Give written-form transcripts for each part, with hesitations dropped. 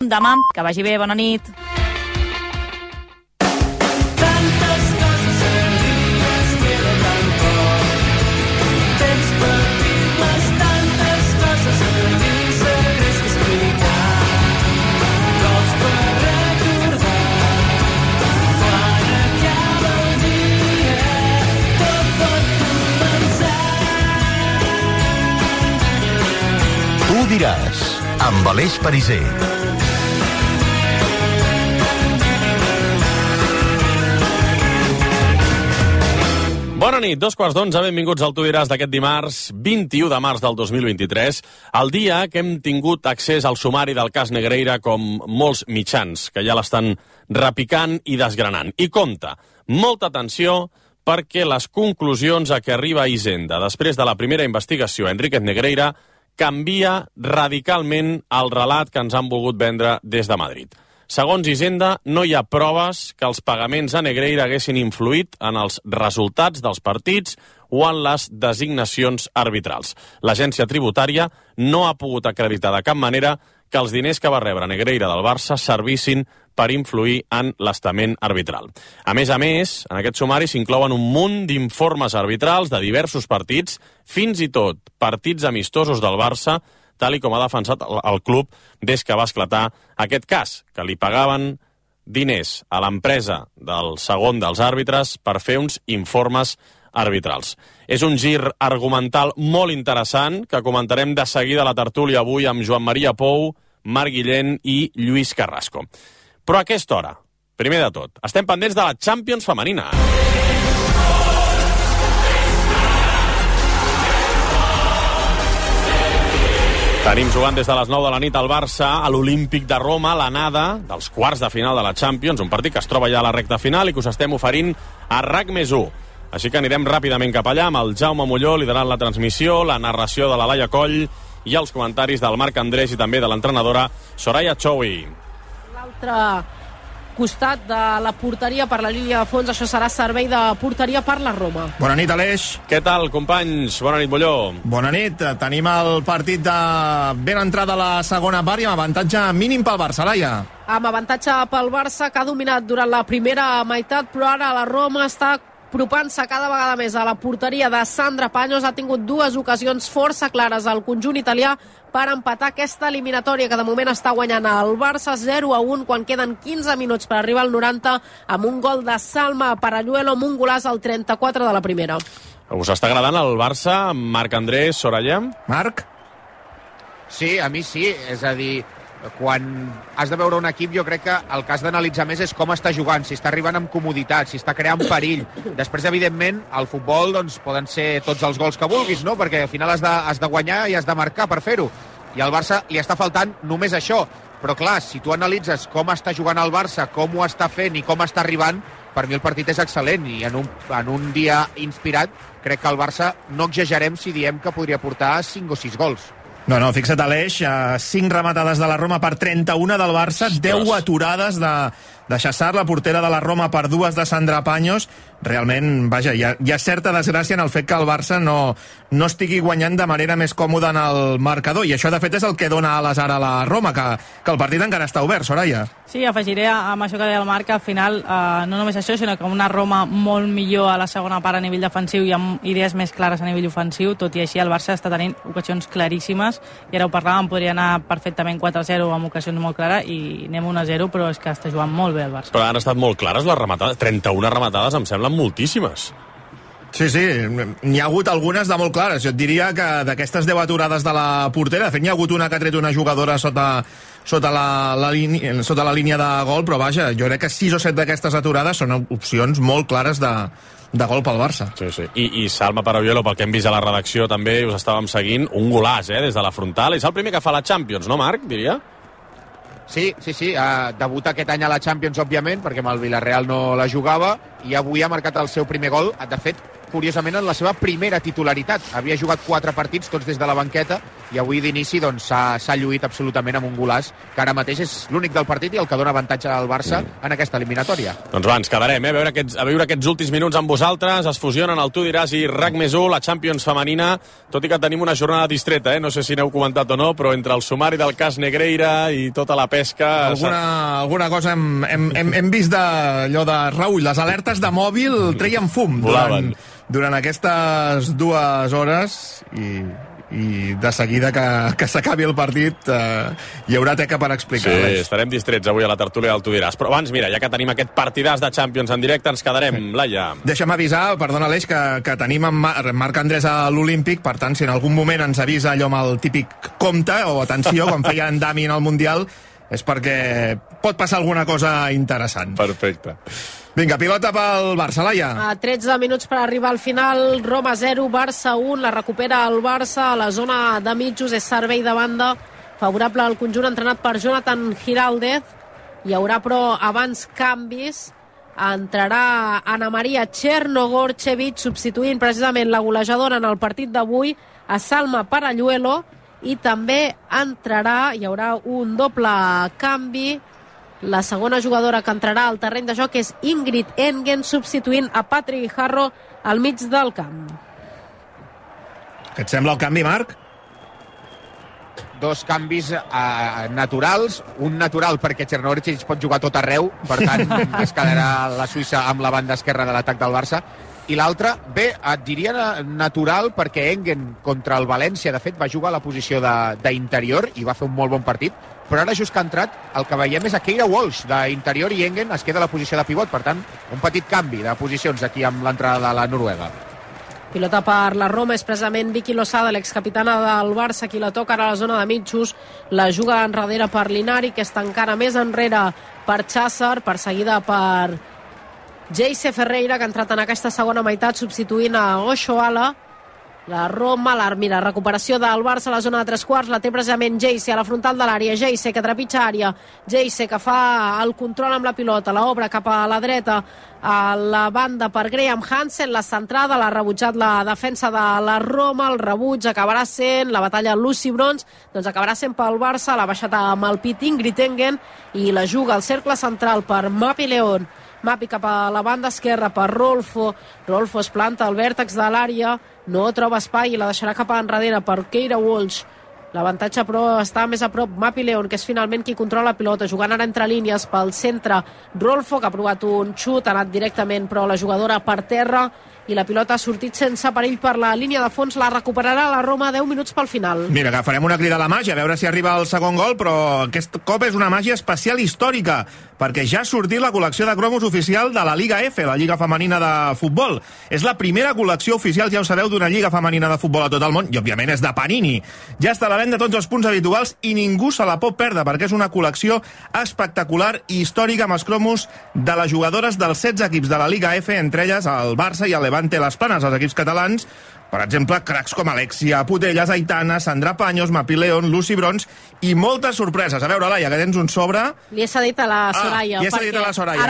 demà. Que vagi bé, bona nit. Tu diràs, amb Aleix Pariser. Bona nit, 11:15, benvinguts al Tu diràs d'aquest dimarts, 21 de març del 2023, el dia que hem tingut accés al sumari del cas Negreira com molts mitjans, que ja l'estan repicant i desgranant. I compte, molta atenció, perquè les conclusions a què arriba Hisenda després de la primera investigació a Enríquez Negreira canvia radicalment el relat que ens han volgut vendre des de Madrid. Segons Hisenda, no hi ha proves que els pagaments a Negreira haguessin influït en els resultats dels partits o en les designacions arbitrals. L'agència tributària no ha pogut acreditar de cap manera que els diners que va rebre Negreira del Barça servissin per influir en l'estament arbitral. A més, en aquest sumari s'inclouen un munt d'informes arbitrals de diversos partits, fins i tot partits amistosos del Barça, tal i com ha defensat el club des que va esclatar aquest cas, que li pagaven diners a l'empresa del segon dels àrbitres per fer uns informes arbitrals. És un gir argumental molt interessant que comentarem de seguida a la tertúlia avui amb Joan Maria Pou, Marc Guillén i Lluís Carrasco. Però a aquesta hora, primer de tot, estem pendents de la Champions femenina. Tenim jugant des de les 9 de la nit al Barça, a l'Olímpic de Roma, l'anada dels quarts de final de la Champions, un partit que es troba ja a la recta final i que us estem oferint a RAC+1. Així que anirem ràpidament cap allà amb el Jaume Molló liderant la transmissió, la narració de la Laia Coll i els comentaris del Marc Andrés i també de l'entrenadora Soraya Choui. L'altre costat de la porteria per la línia de fons, això serà servei de porteria per la Roma. Bona nit, Aleix. Què tal, companys? Bona nit, Molló. Bona nit. Tenim el partit de ben entrada a la segona part i amb avantatge mínim pel Barça, Laia. Amb avantatge pel Barça, que ha dominat durant la primera meitat, però ara la Roma està apropant-se cada vegada més a la porteria de Sandra Paños. Ha tingut dues ocasions força clares al conjunt italià per empatar aquesta eliminatòria, que de moment està guanyant el Barça 0-1 quan queden 15 minuts per arribar al 90 amb un gol de Salma Paralluelo amb un golaç al 34 de la primera. Us està agradant el Barça, Marc Andrés, Soraya? Marc? Sí, a mi sí, és a dir, quan has de veure un equip, jo crec que el que has d'analitzar més és com està jugant, si està arribant amb comoditat, si està creant perill. Després, evidentment, al futbol doncs, poden ser tots els gols que vulguis, no? Perquè al final has de guanyar i has de marcar per fer-ho. I al Barça li està faltant només això. Però clar, si tu analitzes com està jugant el Barça, com ho està fent i com està arribant, per mi el partit és excel·lent i en un dia inspirat crec que el Barça no exagerem si diem que podria portar 5 o 6 gols. No, fixa't, Aleix, 5 rematades de la Roma per 31 del Barça, 10 aturades de Chassar, la portera de la Roma, per 2 de Sandra Paños. Realment, vaja, hi ha certa desgràcia en el fet que el Barça no estigui guanyant de manera més còmoda en el marcador, i això de fet és el que dona ales ara a la Roma, que el partit encara està obert, Soraya. Sí, afegiré amb això que deia el Marc, que al final no només això, sinó que una Roma molt millor a la segona part a nivell defensiu i amb idees més clares a nivell ofensiu. Tot i així el Barça està tenint ocasions claríssimes, i ara ho parlàvem, podria anar perfectament 4-0 amb ocasions molt clares i anem 1-0, però és que està jugant molt bé el Barça. Però han estat molt clares les rematades, 31 rematades em semblen moltíssimes. Sí, n'hi ha hagut algunes de molt clares. Jo et diria que d'aquestes 10 aturades de la portera, de fet n'hi ha hagut una que ha tret una jugadora sota la línia de gol, però vaja, jo crec que 6 o 7 d'aquestes aturades són opcions molt clares de gol pel Barça. Sí. I Salma Paralluelo, pel que hem vist a la redacció també, us estàvem seguint, un golàs, des de la frontal. És el primer que fa la Champions, no, Marc, diria? Sí, debuta aquest any a la Champions, òbviament, perquè amb el Villarreal no la jugava, i avui ha marcat el seu primer gol, de fet, curiosament, en la seva primera titularitat. Havia jugat 4 partits, tots des de la banqueta, i avui d'inici doncs, s'ha lluït absolutament amb un golaç que ara mateix és l'únic del partit i el que dona avantatge al Barça en aquesta eliminatòria. Doncs va, ens quedarem, a veure aquests últims minuts amb vosaltres. Es fusionen el Tu diràs i RAC+1, la Champions femenina, tot i que tenim una jornada distreta, no sé si n'heu comentat o no, però entre el sumari del cas Negreira i tota la pesca... Alguna cosa hem vist d'allò de Raül, les alertes de mòbil treien fum durant aquestes 2 hores i de seguida que s'acabi el partit hi haurà teca per explicar-les. Sí, estarem distrets avui a la tertúlia del Tu diràs. Però abans, mira, ja que tenim aquest partidàs de Champions en directe, ens quedarem, Laia. Deixa'm avisar, perdona Aleix, que tenim en Marc Andrés a l'Olímpic, per tant, si en algun moment ens avisa allò amb el típic compte o atenció, com feia en Dami en el Mundial, és perquè pot passar alguna cosa interessant. Perfecte. Vinga, pilota pel Barça, Laia. A 13 minuts per arribar al final, Roma 0, Barça 1, la recupera el Barça a la zona de mitjos, és servei de banda favorable al conjunt entrenat per Jonathan Giraldez. Hi haurà, però, abans canvis. Entrarà Ana Maria Chernogorchevich, substituint precisament la golejadora en el partit d'avui, a Salma Paralluelo, i també entrarà, hi haurà un doble canvi, la segona jugadora que entrarà al terreny de joc és Ingrid Engen, substituint a Patrick Guijarro al mig del camp. Què et sembla el canvi, Marc? 2 canvis naturals, un natural perquè Chernogorchevich pot jugar tot arreu, per tant es quedarà la Suïssa amb la banda esquerra de l'atac del Barça, i l'altre, bé, et diria natural perquè Engen contra el València, de fet, va jugar a la posició d'interior i va fer un molt bon partit, però ara just que ha entrat el que veiem és a Keira Walsh d'interior i Engen es queda a la posició de pivot, per tant, un petit canvi de posicions aquí amb l'entrada de la Noruega. Pilota per la Roma, és precisament Vicky Losada, l'excapitana del Barça, qui la toca ara a la zona de mitjos, la juga enrere per Linari, que està encara més enrere per Cházar, perseguida per Jayce Ferreira, que ha entrat en aquesta segona meitat substituint a Oshoala. La Roma, mira, recuperació del Barça a la zona de 3/4, la té precisament Jayce a la frontal de l'àrea, Jayce que trepitja àrea, Jayce que fa el control amb la pilota, l'obra cap a la dreta, a la banda per Graham Hansen, la centrada, l'ha rebutjat la defensa de la Roma, el rebuig acabarà sent la batalla Lucy Bronze, doncs acabarà sent pel Barça, l'ha baixat amb el pit Ingrid Engen i la juga al cercle central per Mapi León. Mapi cap a la banda esquerra per Rolfo es planta al vèrtex de l'àrea, no troba espai i la deixarà cap a enrere per Keira Walsh. L'avantatge, però, està més a prop Mapi León, que és finalment qui controla la pilota, jugant ara entre línies pel centre. Rolfo, que ha provat un xut, ha anat directament, però la jugadora per terra, i la pilota ha sortit sense perill per la línia de fons, la recuperarà la Roma 10 minuts pel final. Mira, que farem una crida a la màgia, a veure si arriba el segon gol, però aquest cop és una màgia especial històrica, perquè ja ha sortit la col·lecció de cromos oficial de la Lliga F, la Lliga Femenina de Futbol. És la primera col·lecció oficial, ja ho sabeu, d'una Lliga Femenina de Futbol a tot el món, i òbviament és de Panini. Ja està a la venda tots els punts habituals i ningú se la pot perdre, perquè és una col·lecció espectacular i històrica amb els cromos de les jugadores dels 16 equips de la Lliga F, entre elles el Barça i el Levante Les Planes, els equips catalans. Per exemple, cracs com Alexia Putellas, Aitana, Sandra Paños, Mapi León, Lucy Bronze i moltes sorpreses. A veure, Laia, que tens un sobre. Li he cedit a la Soraya. Li he cedit a la Soraya,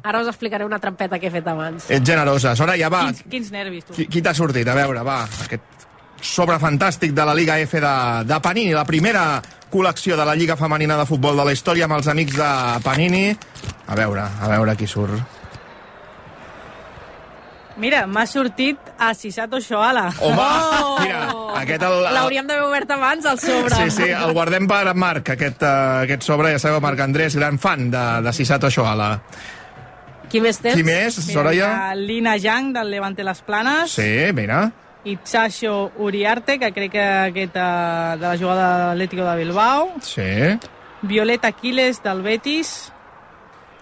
ara us explicaré una trampeta que he fet abans. Ets generosa. Soraya, va. Quins nervis, tu. Qui t'ha sortit? A veure, va. Aquest sobre fantàstic de la Lliga F de Panini, la primera col·lecció de la Lliga Femenina de Futbol de la història amb els amics de Panini. A veure qui surt. Mira, m'ha sortit a Sisato Shoala. Home, mira, aquest... L'hauríem d'haver obert abans, el sobre. Sí, el guardem per en Marc, aquest sobre, ja sabeu, Marc Andrés, gran fan de Sisato Shoala. Qui més tens? Qui més, Soraya? Mira, Lina Yang, del Levante Les Planes. Sí, mira. Itzacho Uriarte, que crec que aquest de la jugada de l'Atlético de Bilbao. Sí. Violeta Aquiles, del Betis.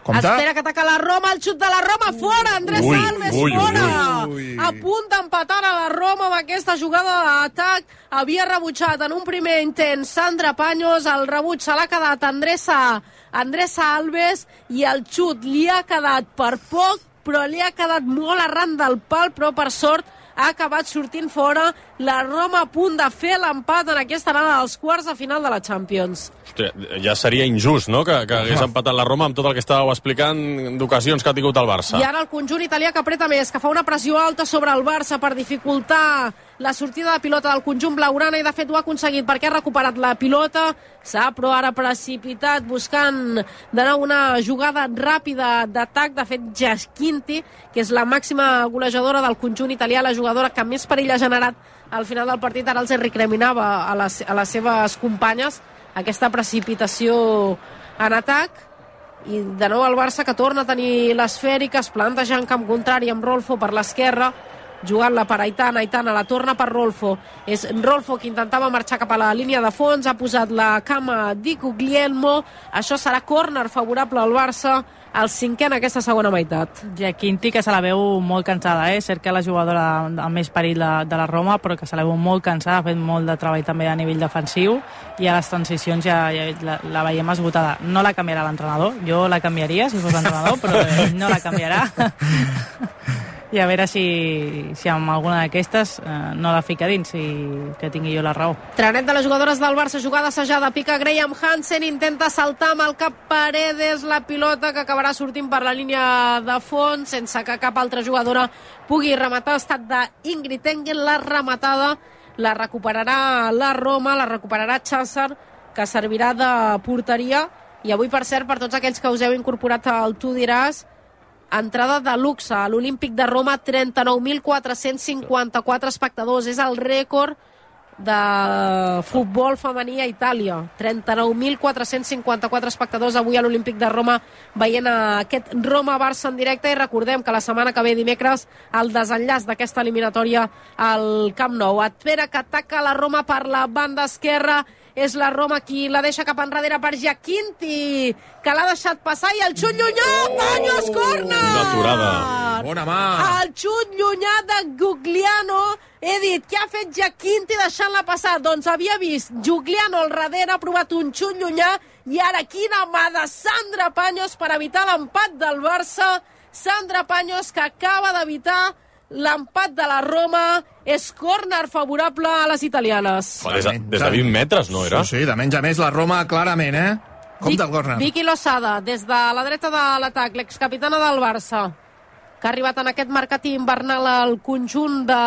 Compte. Espera que ataca la Roma, el xut de la Roma, fora, Andrés Alves, fora! A punt d'empatar a la Roma amb aquesta jugada d'atac. Havia rebutjat en un primer intent Sandra Paños, el rebuig se l'ha quedat Andressa Alves i el xut li ha quedat per poc, però li ha quedat molt arran del pal, però per sort ha acabat sortint fora. La Roma a punt de fer l'empat en aquesta anada dels quarts de final de la Champions. Hòstia, ja seria injust, no?, que hagués empatat la Roma amb tot el que estàveu explicant d'ocasions que ha tingut el Barça. I ara el conjunt italià que apreta més, que fa una pressió alta sobre el Barça per dificultar la sortida de pilota del conjunt blaugrana i de fet ho ha aconseguit perquè ha recuperat la pilota, s'ha però ara precipitat buscant de nou una jugada ràpida d'atac. De fet, Giaquinti, que és la màxima golejadora del conjunt italià, la jugadora que més perill ha generat al final del partit, ara els recriminava a les seves companyes aquesta precipitació en atac. I de nou el Barça, que torna a tenir l'esfèrica, es planteja en camp contrari amb Rolfo per l'esquerra, jugant-la per Aitana. Aitana la torna per Rolfo. És Rolfo que intentava marxar cap a la línia de fons, ha posat la cama di Guglielmo. Això serà córner favorable al Barça, el 5è en aquesta segona meitat. Giaquinti, que se la veu molt cansada, Cert que la jugadora amb més perill de la Roma, però que se la veu molt cansada, ha fet molt de treball també a nivell defensiu, i a les transicions ja la veiem esgotada. No la canviarà l'entrenador, jo la canviaria si fos l'entrenador, però no la canviarà. I a veure si amb alguna d'aquestes no la fica dins i que tingui jo la raó. Trenet de les jugadores del Barça, jugada assajada, pica Graham Hansen, intenta saltar amb el cap Paredes, la pilota que acabarà sortint per la línia de fons sense que cap altra jugadora pugui rematar. Ha estat d'Ingrid Engel la rematada, la recuperarà la Roma, la recuperarà Chazar, que servirà de porteria. I avui, per cert, per tots aquells que us heu incorporat al Tu diràs, entrada de luxe a l'Olímpic de Roma, 39.454 espectadors. És el rècord de futbol femení a Itàlia. 39.454 espectadors avui a l'Olímpic de Roma veient aquest Roma-Barça en directe. I recordem que la setmana que ve, dimecres, el desenllaç d'aquesta eliminatòria al Camp Nou. Espera que ataca la Roma per la banda esquerra. És la Roma qui la deixa cap enrere per Giaquinti, que l'ha deixat passar, i el xut llunyà, Paños, córner! Una aturada. Bona mà! El xut llunyà de Gugliano. He dit, què ha fet Giaquinti deixant-la passar? Doncs havia vist Gugliano al darrere, ha provat un xut llunyà, i ara quina mà de Sandra Paños per evitar l'empat del Barça. Sandra Paños, que acaba d'evitar l'empat de la Roma. És córner favorable a les italianes. Des de 20 metres, no era? Sí, de menys a més la Roma clarament, Com del córner. Vicky Losada, des de la dreta de l'atac, l'excapitana del Barça, que ha arribat en aquest mercat invernal al conjunt de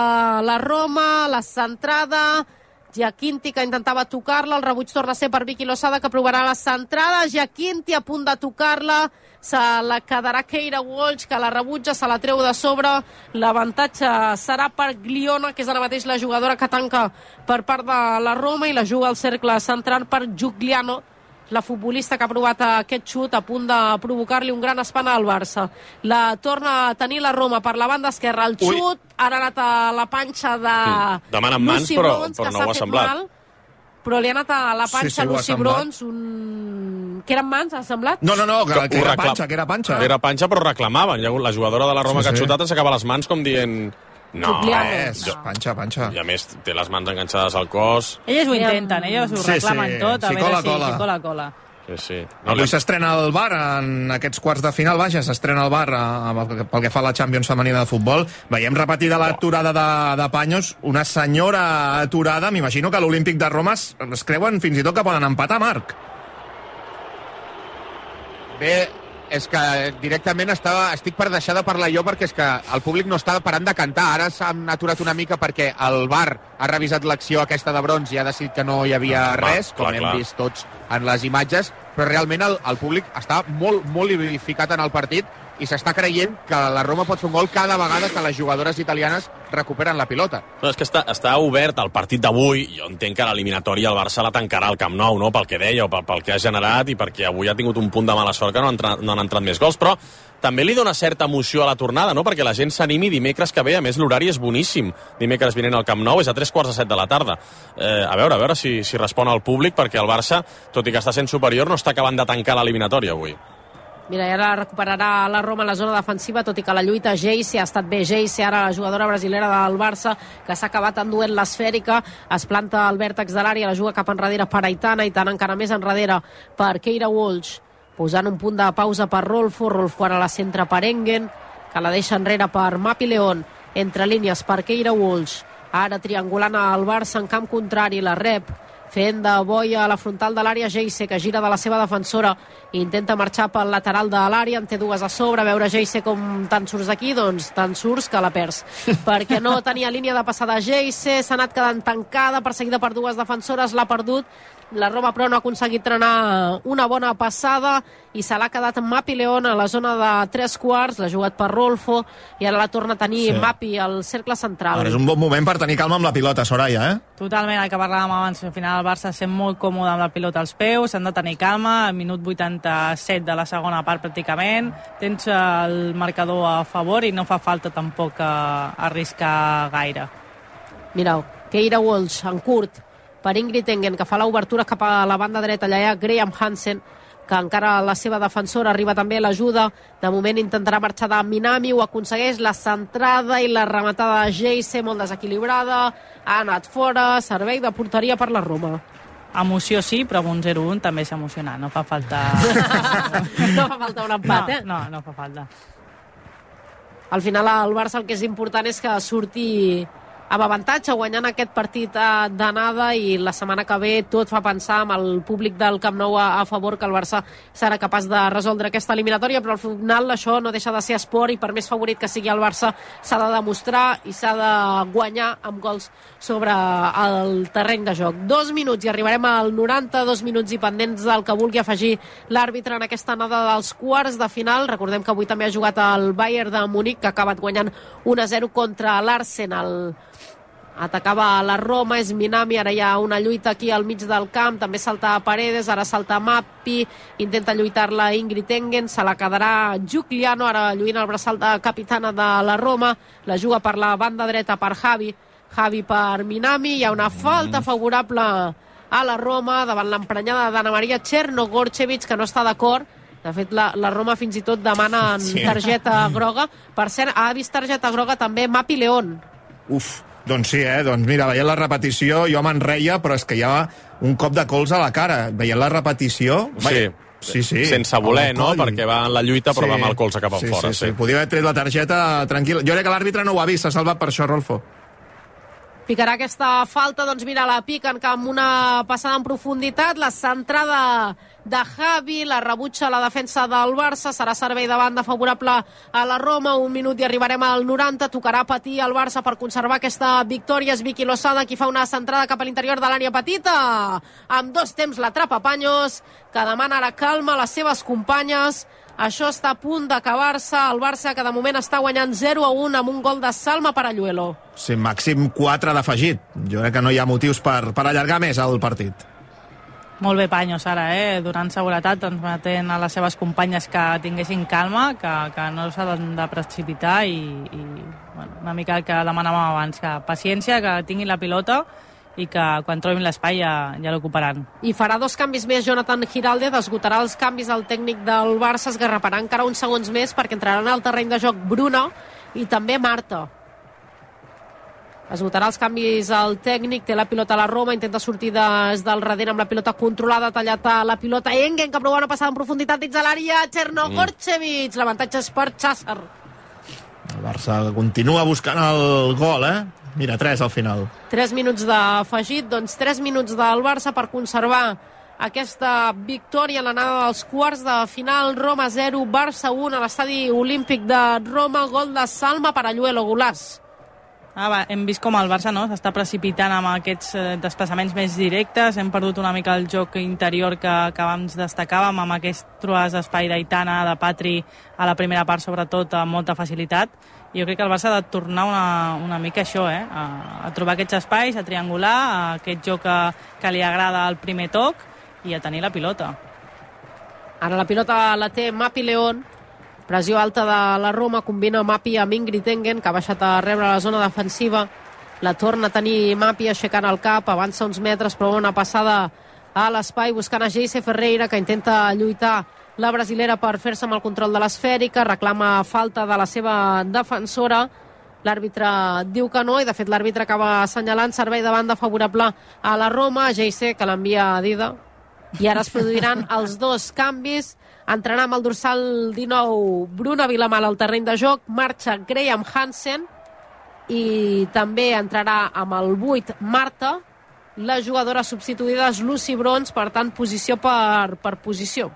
la Roma. La centrada, Giaquinti, que intentava tocar-la, el rebuig torna a ser per Vicky Losada, que provarà la centrada. Giaquinti a punt de tocar-la, se la quedarà Keira Walsh, que la rebutja, se la treu de sobre. L'avantatge serà per Gliona, que és ara mateix la jugadora que tanca per part de la Roma, i la juga al cercle central per Giugliano, la futbolista que ha provat aquest xut, a punt de provocar-li un gran espant al Barça. La torna a tenir la Roma per la banda esquerra. El xut ha anat a la panxa de demanen mans, Lucy però Bronze, no ho ha semblat. mal, però li ha anat a la panxa Lucy Bronze, que eren mans, ha semblat? No, que era panxa, que era panxa. Era panxa, però reclamaven. La jugadora de la Roma que ha xutat s'acaba les mans com dient... No, panxa. I a més, té les mans enganxades al cos. Elles ho intenten, elles ho reclamen tot, a veure si cola. Sí. Avui s'estrena el VAR en aquests quarts de final, s'estrena el VAR pel que fa a la Champions femenina de futbol. Veiem repetida l'aturada de Paños, una senyora aturada. M'imagino que a l'Olímpic de Roma es creuen fins i tot que poden empatar, Marc. Bé, és que directament estic per deixar de parlar jo, perquè és que el públic no està parant de cantar. Ara s'han aturat una mica perquè el VAR ha revisat l'acció aquesta de Bronze i ha decidit que no hi havia res, com hem vist tots en les imatges, però realment el públic està molt, molt ficat en el partit i s'està creient que la Roma pot fer un gol cada vegada que les jugadores italianes recuperen la pilota. No, és que està obert el partit d'avui. Jo entenc que l'eliminatòria el Barça la tancarà al Camp Nou, no? Pel que deia o pel que ha generat, i perquè avui ha tingut un punt de mala sort que no han entrat més gols, però també li dona certa emoció a la tornada, no? Perquè la gent s'animi dimecres que ve. A més, l'horari és boníssim. Dimecres vinent al Camp Nou, és a 3:45 de la tarda. A veure si respon al públic, perquè el Barça, tot i que està sent superior, no està acabant de tancar l'eliminatòria avui. Mira, i ara recuperarà la Roma en la zona defensiva, tot i que la lluita Geise ha estat bé. Geise, ara la jugadora brasilera del Barça, que s'ha acabat enduent l'esfèrica, es planta al vèrtex de l'àrea, la juga cap enrere per Aitana encara més enrere per Keira Walsh, posant un punt de pausa per Rolfo ara la centra per Engen, que la deixa enrere per Mapi León, entre línies per Keira Walsh, ara triangulant al Barça en camp contrari, la rep fent de boia a la frontal de l'àrea Geise, que gira de la seva defensora i intenta marxar pel lateral de l'àrea, en té dues a sobre. A veure Geise com te'n surts d'aquí, doncs te'n surts que la perds, perquè no tenia línia de passada Geise, s'ha anat quedant tancada, perseguida per dues defensores, l'ha perdut. La Roma, però, no ha aconseguit trenar una bona passada i se l'ha quedat en Mapi León a la zona de 3/4, l'ha jugat per Rolfo i ara la torna a tenir Mapi al cercle central. Ara és un bon moment per tenir calma amb la pilota, Soraya, Totalment, el que parlàvem abans, al final el Barça sent molt còmode amb la pilota als peus, s'han de tenir calma, al minut 87 de la segona part pràcticament, tens el marcador a favor i no fa falta tampoc arriscar gaire. Mireu, Keira Walsh en curt per Ingrid Engen, que fa l'obertura cap a la banda dreta. Allà hi ha Graham Hansen, que encara la seva defensora arriba també a l'ajuda. De moment intentarà marxar de Minami, ho aconsegueix, la centrada i la rematada de Geise, molt desequilibrada, ha anat fora, servei de porteria per la Roma. Emoció sí, però amb un 0-1 també és emocionant, no fa falta... No fa falta un empat, No fa falta. Al final el Barça el que és important és que surti amb avantatge, guanyant aquest partit d'anada, i la setmana que ve tot fa pensar amb el públic del Camp Nou a favor que el Barça serà capaç de resoldre aquesta eliminatòria, però al final això no deixa de ser esport i per més favorit que sigui el Barça s'ha de demostrar i s'ha de guanyar amb gols sobre el terreny de joc. 2 minuts i arribarem al 90, 2 minuts i pendents del que vulgui afegir l'àrbitre en aquesta anada dels quarts de final. Recordem que avui també ha jugat el Bayern de Munic, que ha acabat guanyant 1-0 contra l'Arsenal. Atacava la Roma, és Minami, ara hi ha una lluita aquí al mig del camp, també salta Paredes, ara salta Mapi, intenta lluitar-la Ingrid Engen, se la quedarà Giuliano, ara lluint el braçal de capitana de la Roma, la juga per la banda dreta per Javi per Minami, hi ha una falta favorable a la Roma davant l'emprenyada d'Anna Maria Cherno-Gorcevic, que no està d'acord. De fet, la Roma fins i tot demana targeta groga. Per cert, ha vist targeta groga també Mapi León. Doncs sí, doncs mira, veient la repetició jo me'n reia, però és que hi ha un cop de colze a la cara. Veient la repetició... Sí. Sense voler, no? Perquè va en la lluita, però va amb el colze cap enfora. Sí. Podia haver tret la targeta tranquil·la. Jo crec que l'àrbitre no ho ha vist, s'ha salvat per això, Rolfo. Picarà aquesta falta, doncs mira, la piquen amb una passada en profunditat, la centrada de Javi, la rebutja la defensa del Barça, serà servei de banda favorable a la Roma, 1 minut i arribarem al 90, tocarà patir al Barça per conservar aquesta victòria, és Vicky Lozada qui fa una centrada cap a l'interior de l'àrea petita, amb 2 temps l'atrapa Paños, que demana ara calma a les seves companyes. Això està a punt d'acabar-se, el Barça que de moment està guanyant 0-1 amb un gol de Salma Paralluelo. Sí, màxim 4 d'afegit. Jo crec que no hi ha motius per allargar més el partit. Molt bé Paños ara, donant seguretat, transmetent a les seves companyes que tinguessin calma, que no s'han de precipitar i bueno, una mica el que demanàvem abans, que paciència, que tinguin la pilota i que quan trobin l'espai ja l'ocuparan. I farà 2 canvis més Jonathan Giraldez, esgotarà els canvis al tècnic del Barça, es garraparà encara uns segons més perquè entraran al terreny de joc Bruna i també Marta. Esgotarà els canvis al tècnic, té la pilota a la Roma, intenta sortir des del darrere amb la pilota controlada, tallat a la pilota Engen, que prova una passada en profunditat dins de l'àrea, Cherno-Gorcevic, l'avantatge és per Chazar. El Barça continua buscant el gol, Mira, 3 al final. 3 minuts d'afegit, doncs 3 minuts del Barça per conservar aquesta victòria en l'anada dels quarts de final. Roma 0, Barça 1 a l'estadi olímpic de Roma, gol de Salma Paralluelo, golaç. Hem vist com el Barça s'està precipitant amb aquests desplaçaments més directes, hem perdut una mica el joc interior que abans destacàvem, amb aquest trobades d'espai d'Aitana, de Patri a la primera part sobretot amb molta facilitat. Jo crec que el Barça ha de tornar una mica a això, a trobar aquests espais, a triangular, a aquest joc que li agrada al primer toc i a tenir la pilota. Ara la pilota la té Mapi León, pressió alta de la Roma, combina Mapi amb Ingrid Engen, que ha baixat a rebre la zona defensiva, la torna a tenir Mapi aixecant el cap, avança uns metres, però una passada a l'espai, buscant a Geise Ferreira, que intenta lluitar la brasilera per fer-se amb el control de l'esfèrica, reclama falta de la seva defensora, l'àrbitre diu que no, i de fet l'àrbitre acaba assenyalant servei de banda favorable a la Roma, Geise, que l'envia a Dida, i ara es produiran els 2 canvis. Entrarà amb el dorsal 19 Bruna Vilamal al terreny de joc, marxa Graham Hansen i també entrarà amb el 8 Marta, la jugadora substituïda és Lucy Bronze, per tant, posició per posició.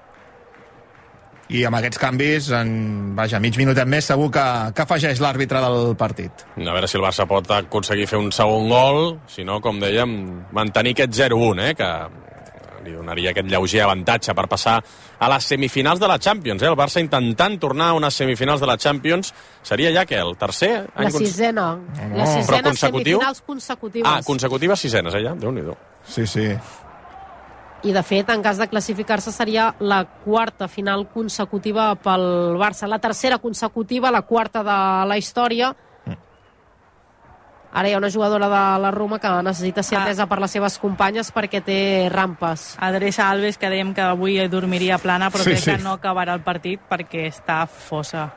I amb aquests canvis, mig minutet més, segur que afegeix l'àrbitre del partit. A veure si el Barça pot aconseguir fer un segon gol, si no, com dèiem, mantenir aquest 0-1, que li donaria aquest lleuger avantatge per passar a les semifinals de la Champions. El Barça intentant tornar a unes semifinals de la Champions. Seria ja que el tercer? La sisena. La sisena semifinals consecutives. Consecutives sisenes, ja? Déu-n'hi-do. Sí. I, de fet, en cas de classificar-se, seria la quarta final consecutiva pel Barça. La tercera consecutiva, la quarta de la història. Ara hi ha una jugadora de la Roma que necessita ser atesa per les seves companyes perquè té rampes. Adreça Alves, que dèiem que avui dormiria plana, però crec que no acabarà el partit perquè està fosa.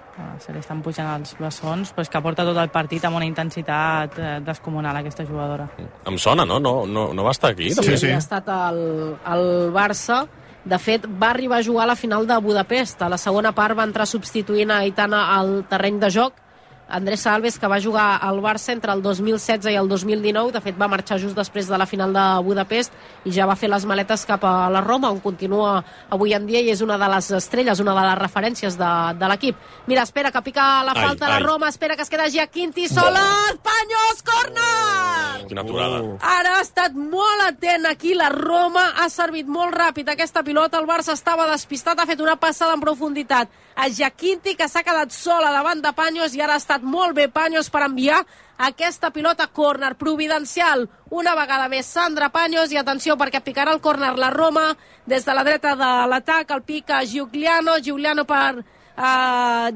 Se li estan pujant els bessons, però és que porta tot el partit amb una intensitat descomunal, aquesta jugadora. Em sona, no? No va estar aquí? Sí. Ha estat al Barça. De fet, va arribar a jugar a la final de Budapest. A la segona part va entrar substituint a Aitana al terreny de joc. Andressa Alves, que va jugar al Barça entre el 2016 i el 2019, de fet va marxar just després de la final de Budapest i ja va fer les maletes cap a la Roma, on continua avui en dia i és una de les estrelles, una de les referències de l'equip. Mira, espera que pica la falta la Roma, espera que es queda Giaquinti sola, Paños, córner! Quina aturada. Ara ha estat molt atent aquí, la Roma ha servit molt ràpid aquesta pilota, el Barça estava despistat, ha fet una passada en profunditat a Giaquinti, que s'ha quedat sola davant de Paños i ara ha estat molt bé Paños per enviar aquesta pilota córner providencial. Una vegada més Sandra Paños i atenció perquè picarà el córner la Roma des de la dreta de l'atac, el pica Giugliano per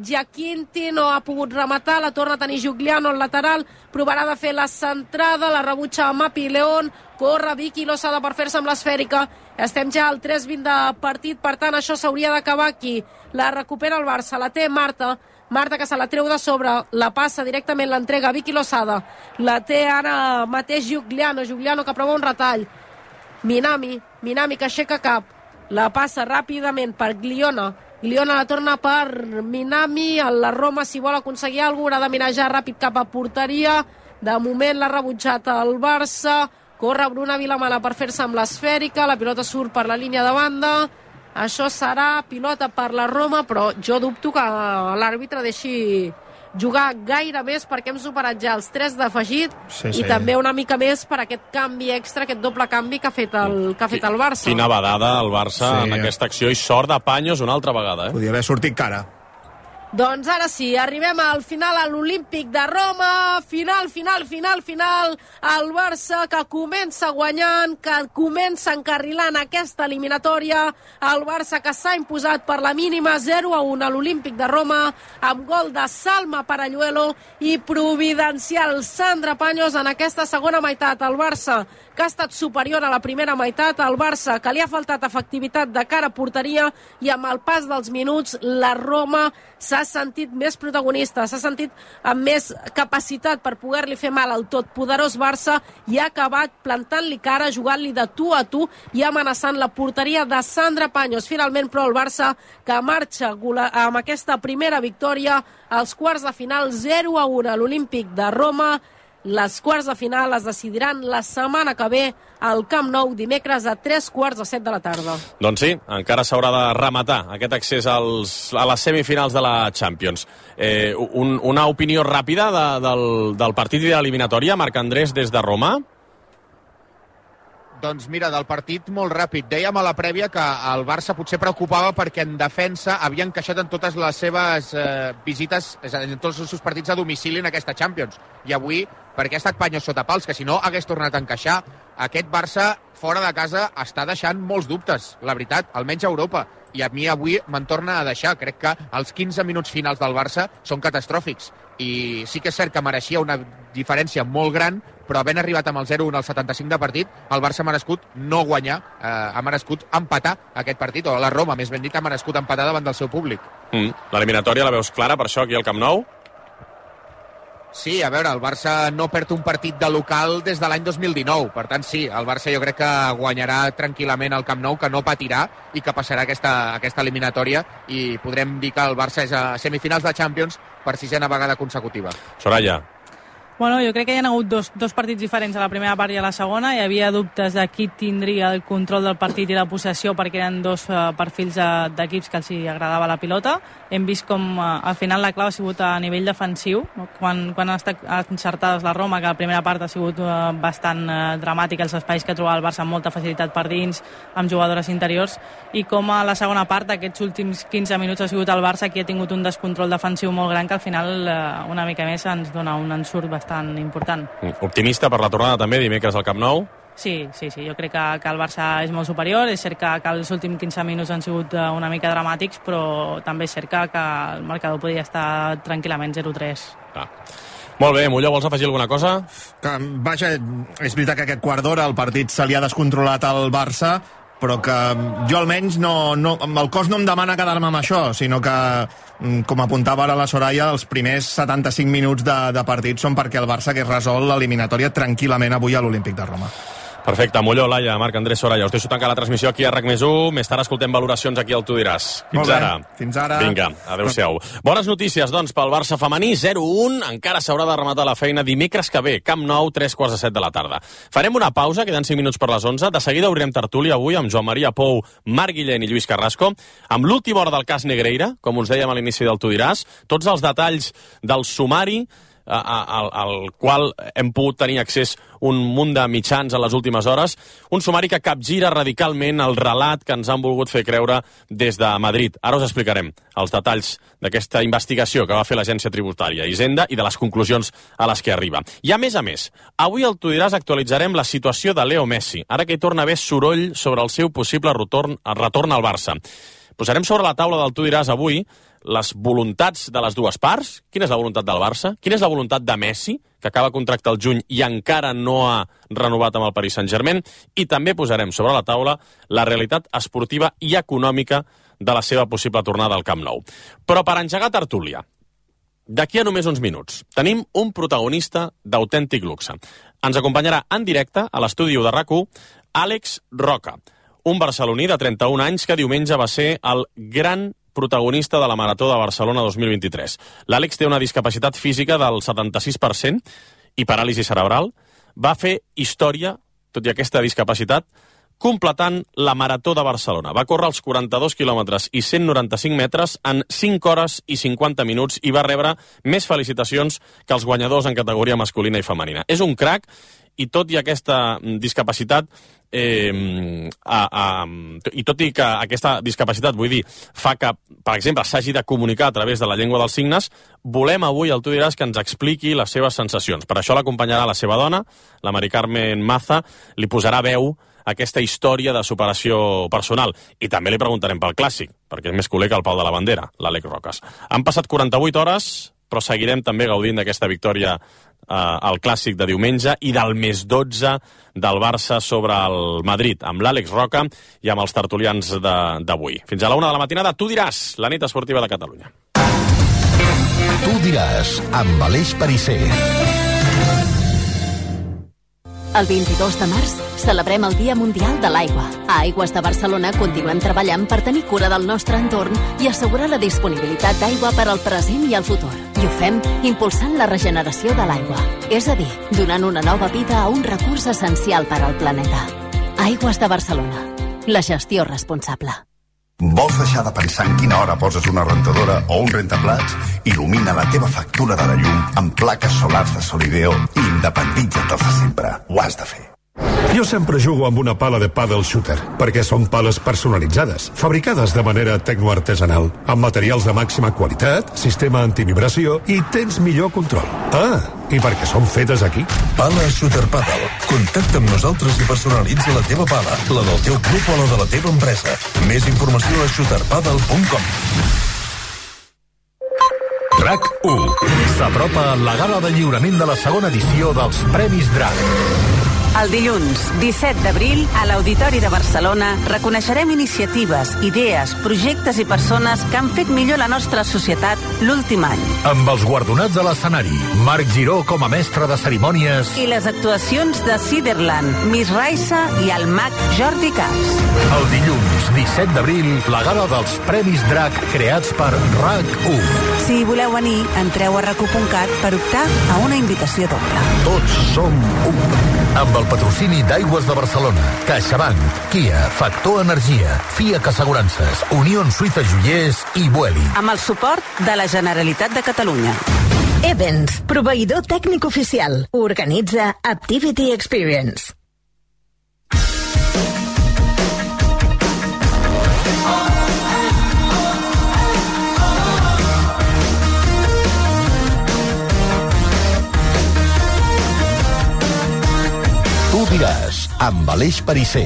Giaquinti, no ha pogut rematar, la torna a tenir Giugliano al lateral, provarà de fer la centrada, la rebutja Mapi León, corre Vicky Losada per fer-se amb l'esfèrica. Estem ja al 3:20 de partit, per tant això s'hauria d'acabar aquí. La recupera el Barça, la té Marta que se la treu de sobre, la passa directament, l'entrega a Vicky Losada, la té ara mateix Giugliano que prova un retall, Minami que aixeca cap, la passa ràpidament per Gliona la torna per Minami, la Roma si vol aconseguir alguna cosa, haurà de mirar ja ràpid cap a porteria, de moment l'ha rebutjat el Barça, corre Bruna Vilamala per fer-se amb l'esfèrica, la pilota surt per la línia de banda, això serà pilota per la Roma, però jo dubto que l'àrbitre deixi jugar gaire més perquè hem superat ja els 3 d'afegit i també una mica més per aquest canvi extra, aquest doble canvi que ha fet el Barça. Quina badada el Barça en aquesta acció i sort de Paños una altra vegada. Podria haver sortit cara. Doncs ara sí, arribem al final a l'Olímpic de Roma, final, el Barça que comença guanyant, que comença encarrilant aquesta eliminatòria, el Barça que s'ha imposat per la mínima 0-1 a l'Olímpic de Roma, amb gol de Salma Paralluelo i providencial Sandra Paños en aquesta segona meitat. El Barça que ha estat superior a la primera meitat, el Barça que li ha faltat efectivitat de cara a porteria i amb el pas dels minuts la Roma s'ha sentit més protagonista, s'ha sentit amb més capacitat per poder-li fer mal al totpoderós Barça i ha acabat plantant-li cara, jugant-li de tu a tu i amenaçant la porteria de Sandra Paños. Finalment, però, el Barça que marxa amb aquesta primera victòria als quarts de final 0-1 a l'Olímpic de Roma. Les quarts de final es decidiran la setmana que ve al Camp Nou, dimecres a 3:45 de la tarda. Doncs sí, encara s'haurà de rematar aquest accés a les semifinals de la Champions. Una opinió ràpida del partit i de l'eliminatòria, Marc Andrés, des de Roma? Doncs mira, del partit molt ràpid. Dèiem a la prèvia que el Barça potser preocupava perquè en defensa havia encaixat en totes les seves visites, en tots els seus partits a domicili en aquesta Champions. I avui, perquè ha estat Paños sota pals, que si no hagués tornat a encaixar, aquest Barça fora de casa està deixant molts dubtes, la veritat, almenys a Europa. I a mi avui me'n torna a deixar. Crec que els 15 minuts finals del Barça són catastròfics. I sí que és cert que mereixia una diferència molt gran, però havent arribat amb el 0-1 al 75 de partit, el Barça ha merescut no guanyar, ha merescut empatar aquest partit, o la Roma, més ben dit, ha merescut empatar davant del seu públic. L'eliminatòria la veus clara, per això, aquí al Camp Nou? Sí, a veure, el Barça no perd un partit de local des de l'any 2019. Per tant, sí, el Barça jo crec que guanyarà tranquil·lament al Camp Nou, que no patirà i que passarà aquesta eliminatòria i podrem dir que el Barça és a semifinals de Champions per 6a vegada consecutiva. Soraya. Bueno, jo crec que hi ha hagut dos partits diferents a la primera part i a la segona. Hi havia dubtes de qui tindria el control del partit i la possessió perquè eren dos perfils d'equips que els agradava la pilota. Hem vist com al final la clau ha sigut a nivell defensiu, no? Quan han estat encertades la Roma, que la primera part ha sigut bastant dramàtica, els espais que trobava el Barça amb molta facilitat per dins, amb jugadores interiors, i com a la segona part, aquests últims 15 minuts ha sigut el Barça qui ha tingut un descontrol defensiu molt gran que al final una mica més ens dona un ensurt bastant important. Optimista per la tornada també dimecres al Camp Nou? Sí, jo crec que el Barça és molt superior. És cert que els últims 15 minuts han sigut una mica dramàtics, però també és cert que el marcador podria estar tranquil·lament 0-3. Molt bé, Molló, vols afegir alguna cosa? Vaja, és veritat que aquest quart d'hora el partit se li ha descontrolat al Barça, però que jo almenys el cos no em demana quedar-me amb això, sinó que, com apuntava ara la Soraya, els primers 75 minuts de partit són perquè el Barça hagués resolt l'eliminatòria tranquil·lament avui a l'Olímpic de Roma. Perfecte, Molló, Laia, Marc Andrés, Soraya, us deixo tancar la transmissió aquí a RAC+1, més tard escoltem valoracions aquí al Tu diràs. Fins ara. Fins ara. Vinga, adeu-siau. Bones notícies, doncs, pel Barça femení, 0-1, encara s'haurà de rematar la feina dimecres que ve, Camp Nou, 3:45 de la tarda. Farem una pausa, queden 5 minuts per les 11, de seguida obrirem tertúlia avui amb Joan Maria Pou, Marc Guillén i Lluís Carrasco, amb l'última hora del cas Negreira, com us dèiem a l'inici del Tu diràs, tots els detalls del sumari al qual hem pogut tenir accés un munt de mitjans a les últimes hores, un sumari que capgira radicalment el relat que ens han volgut fer creure des de Madrid. Ara us explicarem els detalls d'aquesta investigació que va fer l'Agència Tributària Hisenda i de les conclusions a les que arriba. I a més, avui al Tu diràs actualitzarem la situació de Leo Messi, ara que hi torna a haver soroll sobre el seu possible retorn al Barça. Posarem sobre la taula del Tu diràs avui les voluntats de les dues parts. Quina és la voluntat del Barça? Quina és la voluntat de Messi, que acaba contracte al juny i encara no ha renovat amb el Paris Saint-Germain? I també posarem sobre la taula la realitat esportiva i econòmica de la seva possible tornada al Camp Nou. Però per engegar tertúlia, d'aquí a només uns minuts, tenim un protagonista d'autèntic luxe. Ens acompanyarà en directe a l'estudi de RAC1 Àlex Roca, un barceloní de 31 anys que diumenge va ser el gran protagonista de la Marató de Barcelona 2023. L'Àlex té una discapacitat física del 76% i paràlisi cerebral. Va fer història, tot i aquesta discapacitat, completant la Marató de Barcelona. Va córrer els 42 quilòmetres i 195 metres en 5 hores i 50 minuts i va rebre més felicitacions que els guanyadors en categoria masculina i femenina. És un crac i tot i aquesta discapacitat i tot i que aquesta discapacitat, vull dir, fa que, per exemple, s'hagi de comunicar a través de la llengua dels signes, volem avui al Tu diràs que ens expliqui les seves sensacions. Per això l'acompanyarà la seva dona, la Mari Carmen Maza, li posarà veu a aquesta història de superació personal. I també li preguntarem pel clàssic, perquè és més culer que el pal de la bandera, l'Àlex Roques. Han passat 48 hores, però seguirem també gaudint d'aquesta victòria al clàssic de diumenge i del més 12 del Barça sobre el Madrid, amb l'Àlex Roca i amb els tertulians d'avui. Fins a la 1 de la matinada, Tu diràs, la nit esportiva de Catalunya. Tu diràs, amb Aleix Perisser. El 22 de març celebrem el Dia Mundial de l'Aigua. A Aigües de Barcelona continuem treballant per tenir cura del nostre entorn i assegurar la disponibilitat d'aigua per al present i el futur. I ho fem impulsant la regeneració de l'aigua, és a dir, donant una nova vida a un recurs essencial per al planeta. Aigües de Barcelona. La gestió responsable. Vols deixar de pensar en quina hora poses una rentadora o un rentaplats? Il·lumina la teva factura de la llum amb plaques solars de Solideo i independitza't dels de sempre. Ho has de fer. Jo sempre jugo amb una pala de paddle shooter, perquè són pales personalitzades, fabricades de manera tecnoartesanal, amb materials de màxima qualitat, sistema antivibració i tens millor control. I perquè són fetes aquí. Pala Shooter Paddle. Contacta amb nosaltres i personalitza la teva pala, la del teu club o la de la teva empresa. Més informació a shooterpaddle.com. RAC1. S'apropa la gala de lliurament de la segona edició dels Premis DRAC. El dilluns, 17 d'abril, a l'Auditori de Barcelona, reconeixerem iniciatives, idees, projectes i persones que han fet millor la nostra societat l'últim any. Amb els guardonats a l'escenari, Marc Giró com a mestre de cerimònies i les actuacions de Ciderland, Miss Raissa i el mag Jordi Camps. El dilluns, dilluns 17 d'abril, la gala dels Premis Drac creats per RAC1. Si voleu venir, entreu a rac1.cat per optar a una invitació doble. Tots som un. Amb el patrocini d'Aigües de Barcelona, CaixaBank, Kia, Factor Energia, FIAC Assegurances, Unió Suïssa Joiers i Vueling. Amb el suport de la Generalitat de Catalunya. Evans, proveïdor tècnic oficial. Organitza Activity Experience. Tu diràs, amb Aleix Perisser.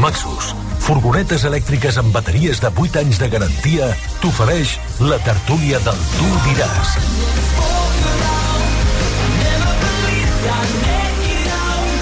Maxus, furgonetes elèctriques amb bateries de 8 anys de garantia, t'ofereix la tertúlia del Tu diràs.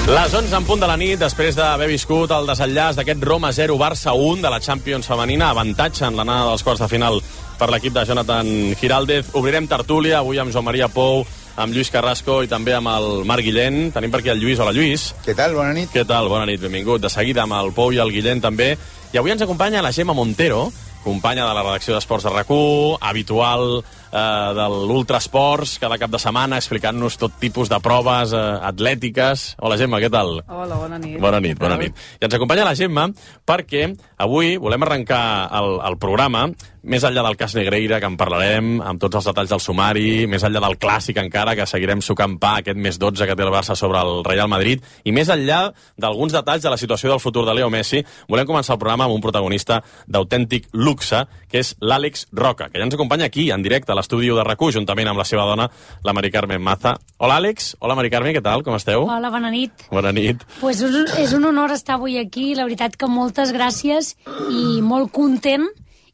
Les 11 en punt de la nit, després d'haver viscut el desenllaç d'aquest Roma 0 Barça 1 de la Champions femenina, avantatge en l'anada dels quarts de final per l'equip de Jonathan Giraldez. Obrirem tertúlia avui amb Joan Maria Pou, amb Lluís Carrasco i també amb el Marc Guillén. Tenim per aquí el Lluís. Hola, Lluís. Què tal? Bona nit. Què tal? Bona nit, benvingut. De seguida amb el Pou i el Guillén també. I avui ens acompanya la Gemma Montero, companya de la redacció d'Esports de RAC1, habitual de l'Ultrasports, cada cap de setmana explicant-nos tot tipus de proves atlètiques. Hola, Gemma, què tal? Hola, bona nit. Bona nit, bona nit. I ens acompanya la Gemma perquè avui volem arrencar el programa més enllà del cas Negreira, que en parlarem, amb tots els detalls del sumari, més enllà del clàssic encara, que seguirem sucant pa aquest més 12 que té el Barça sobre el Real Madrid, i més enllà d'alguns detalls de la situació del futur de Leo Messi, volem començar el programa amb un protagonista d'autèntic luxe, que és l'Àlex Roca, que ja ens acompanya aquí, en directe, a l'estudi de RAC1, juntament amb la seva dona, la Mari Carmen Maza. Hola, Àlex. Hola, Mari Carmen, què tal? Com esteu? Hola, bona nit. Bona nit. Pues és un honor estar avui aquí, la veritat que moltes gràcies i molt content,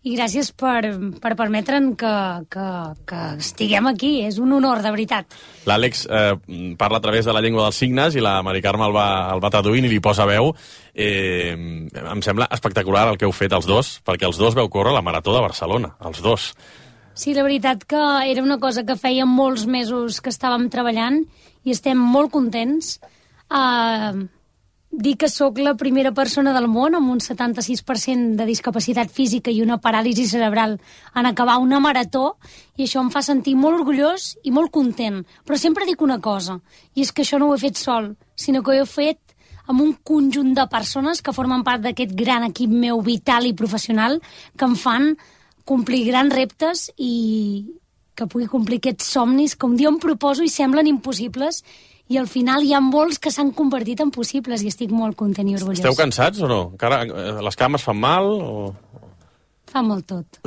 i gràcies per permetre'n que estiguem aquí. És un honor, de veritat. L'Àlex parla a través de la llengua dels signes i la Mari Carme el va traduint i li posa veu. Em sembla espectacular el que heu fet els dos, perquè els dos veu córrer la Marató de Barcelona, els dos. Sí, la veritat que era una cosa que feia molts mesos que estàvem treballant i estem molt contents. Dir que sóc la primera persona del món amb un 76% de discapacitat física i una paràlisi cerebral en acabar una marató, i això em fa sentir molt orgullós i molt content. Però sempre dic una cosa, i és que això no ho he fet sol, sinó que ho he fet amb un conjunt de persones que formen part d'aquest gran equip meu vital i professional, que em fan complir grans reptes i que pugui complir aquests somnis que un dia em proposo i semblen impossibles, i al final hi ha molts que s'han convertit en possibles i estic molt content i orgullós. Esteu cansats o no? Encara les cames fan mal? O... Fa molt tot.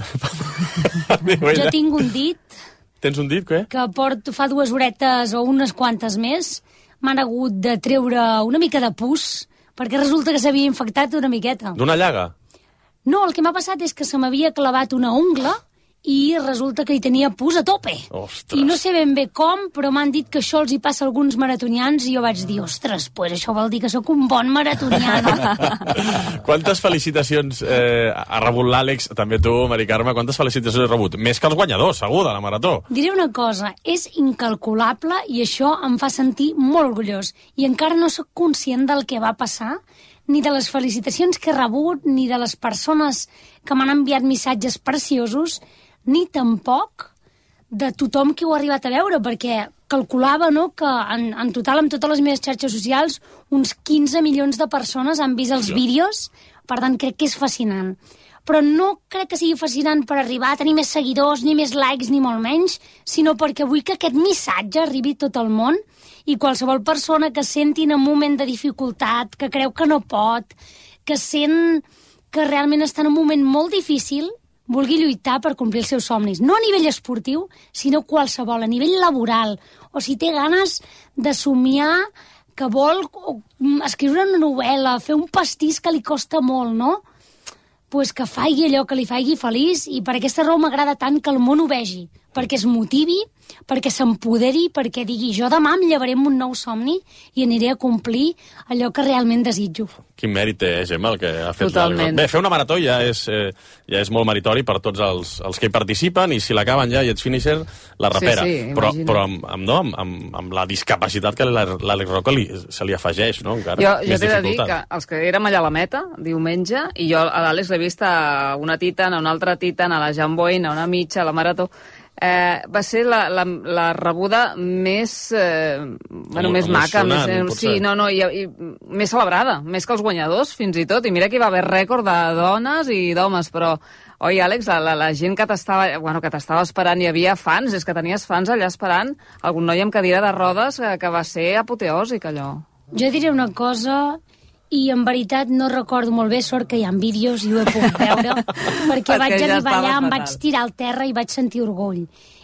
Jo tinc un dit... Tens un dit, què? Que porto fa 2 horetes o unes quantes més. M'han hagut de treure una mica de pus, perquè resulta que s'havia infectat una miqueta. D'una llaga? No, el que m'ha passat és que se m'havia clavat una ungla i resulta que hi tenia pus a tope. Ostres. I no sé ben bé com, però m'han dit que això els hi passa a alguns maratonians i jo vaig dir, ostres, pues això vol dir que sóc un bon maratonià, no? Quantes felicitacions ha rebut l'Àlex, també tu, Mari Carme, quantes felicitacions has rebut? Més que els guanyadors, segur, de la marató. Diré una cosa, és incalculable i això em fa sentir molt orgullós. I encara no sóc conscient del que va passar, ni de les felicitacions que he rebut, ni de les persones que m'han enviat missatges preciosos, ni tampoc de tothom que ho ha arribat a veure, perquè calculava, no, que en total, amb totes les meves xarxes socials, uns 15 milions de persones han vist els vídeos, per tant, crec que és fascinant. Però no crec que sigui fascinant per arribar a tenir més seguidors, ni més likes, ni molt menys, sinó perquè vull que aquest missatge arribi a tot el món i qualsevol persona que senti en un moment de dificultat, que creu que no pot, que sent que realment està en un moment molt difícil, vulgui lluitar per complir els seus somnis. No a nivell esportiu, sinó qualsevol, a nivell laboral. O si té ganes de somiar, que vol escriure una novel·la, fer un pastís que li costa molt, no? Pues que faci allò que li faci feliç, i per aquesta raó m'agrada tant que el món ho vegi, perquè es motivi, perquè s'empoderi, perquè digui jo demà em llevaré amb un nou somni i aniré a complir allò que realment desitjo. Quin mèrit té, Gemma, el que ha fet Totalment. l'Àlex. Bé, fer una marató ja és molt meritori per tots els que hi participen, i si l'acaben ja i ets finisher, la repera. Sí, però amb la discapacitat que l'Àlex Roca se li afegeix, no? Encara Jo més t'he de dir dificultat. que els que érem allà a la meta, diumenge, i jo a l'Àlex l'he vist a una Titan, a una altra Titan, a la Jan Boyne, a una mitja, a la Marató, va ser la rebuda més més maca, i més celebrada, més que els guanyadors, fins i tot. I mira que hi va haver rècord de dones i d'homes, però oi, Àlex, la gent que t'estava esperant, hi havia fans, és que tenies fans allà esperant, algun noi amb cadira de rodes que va ser apoteòsic, allò. Jo diré una cosa, i en veritat no recordo molt bé, sort que hi ha vídeos i ho he pogut veure, perquè vaig arribar allà, em vaig tirar al terra i vaig sentir orgull.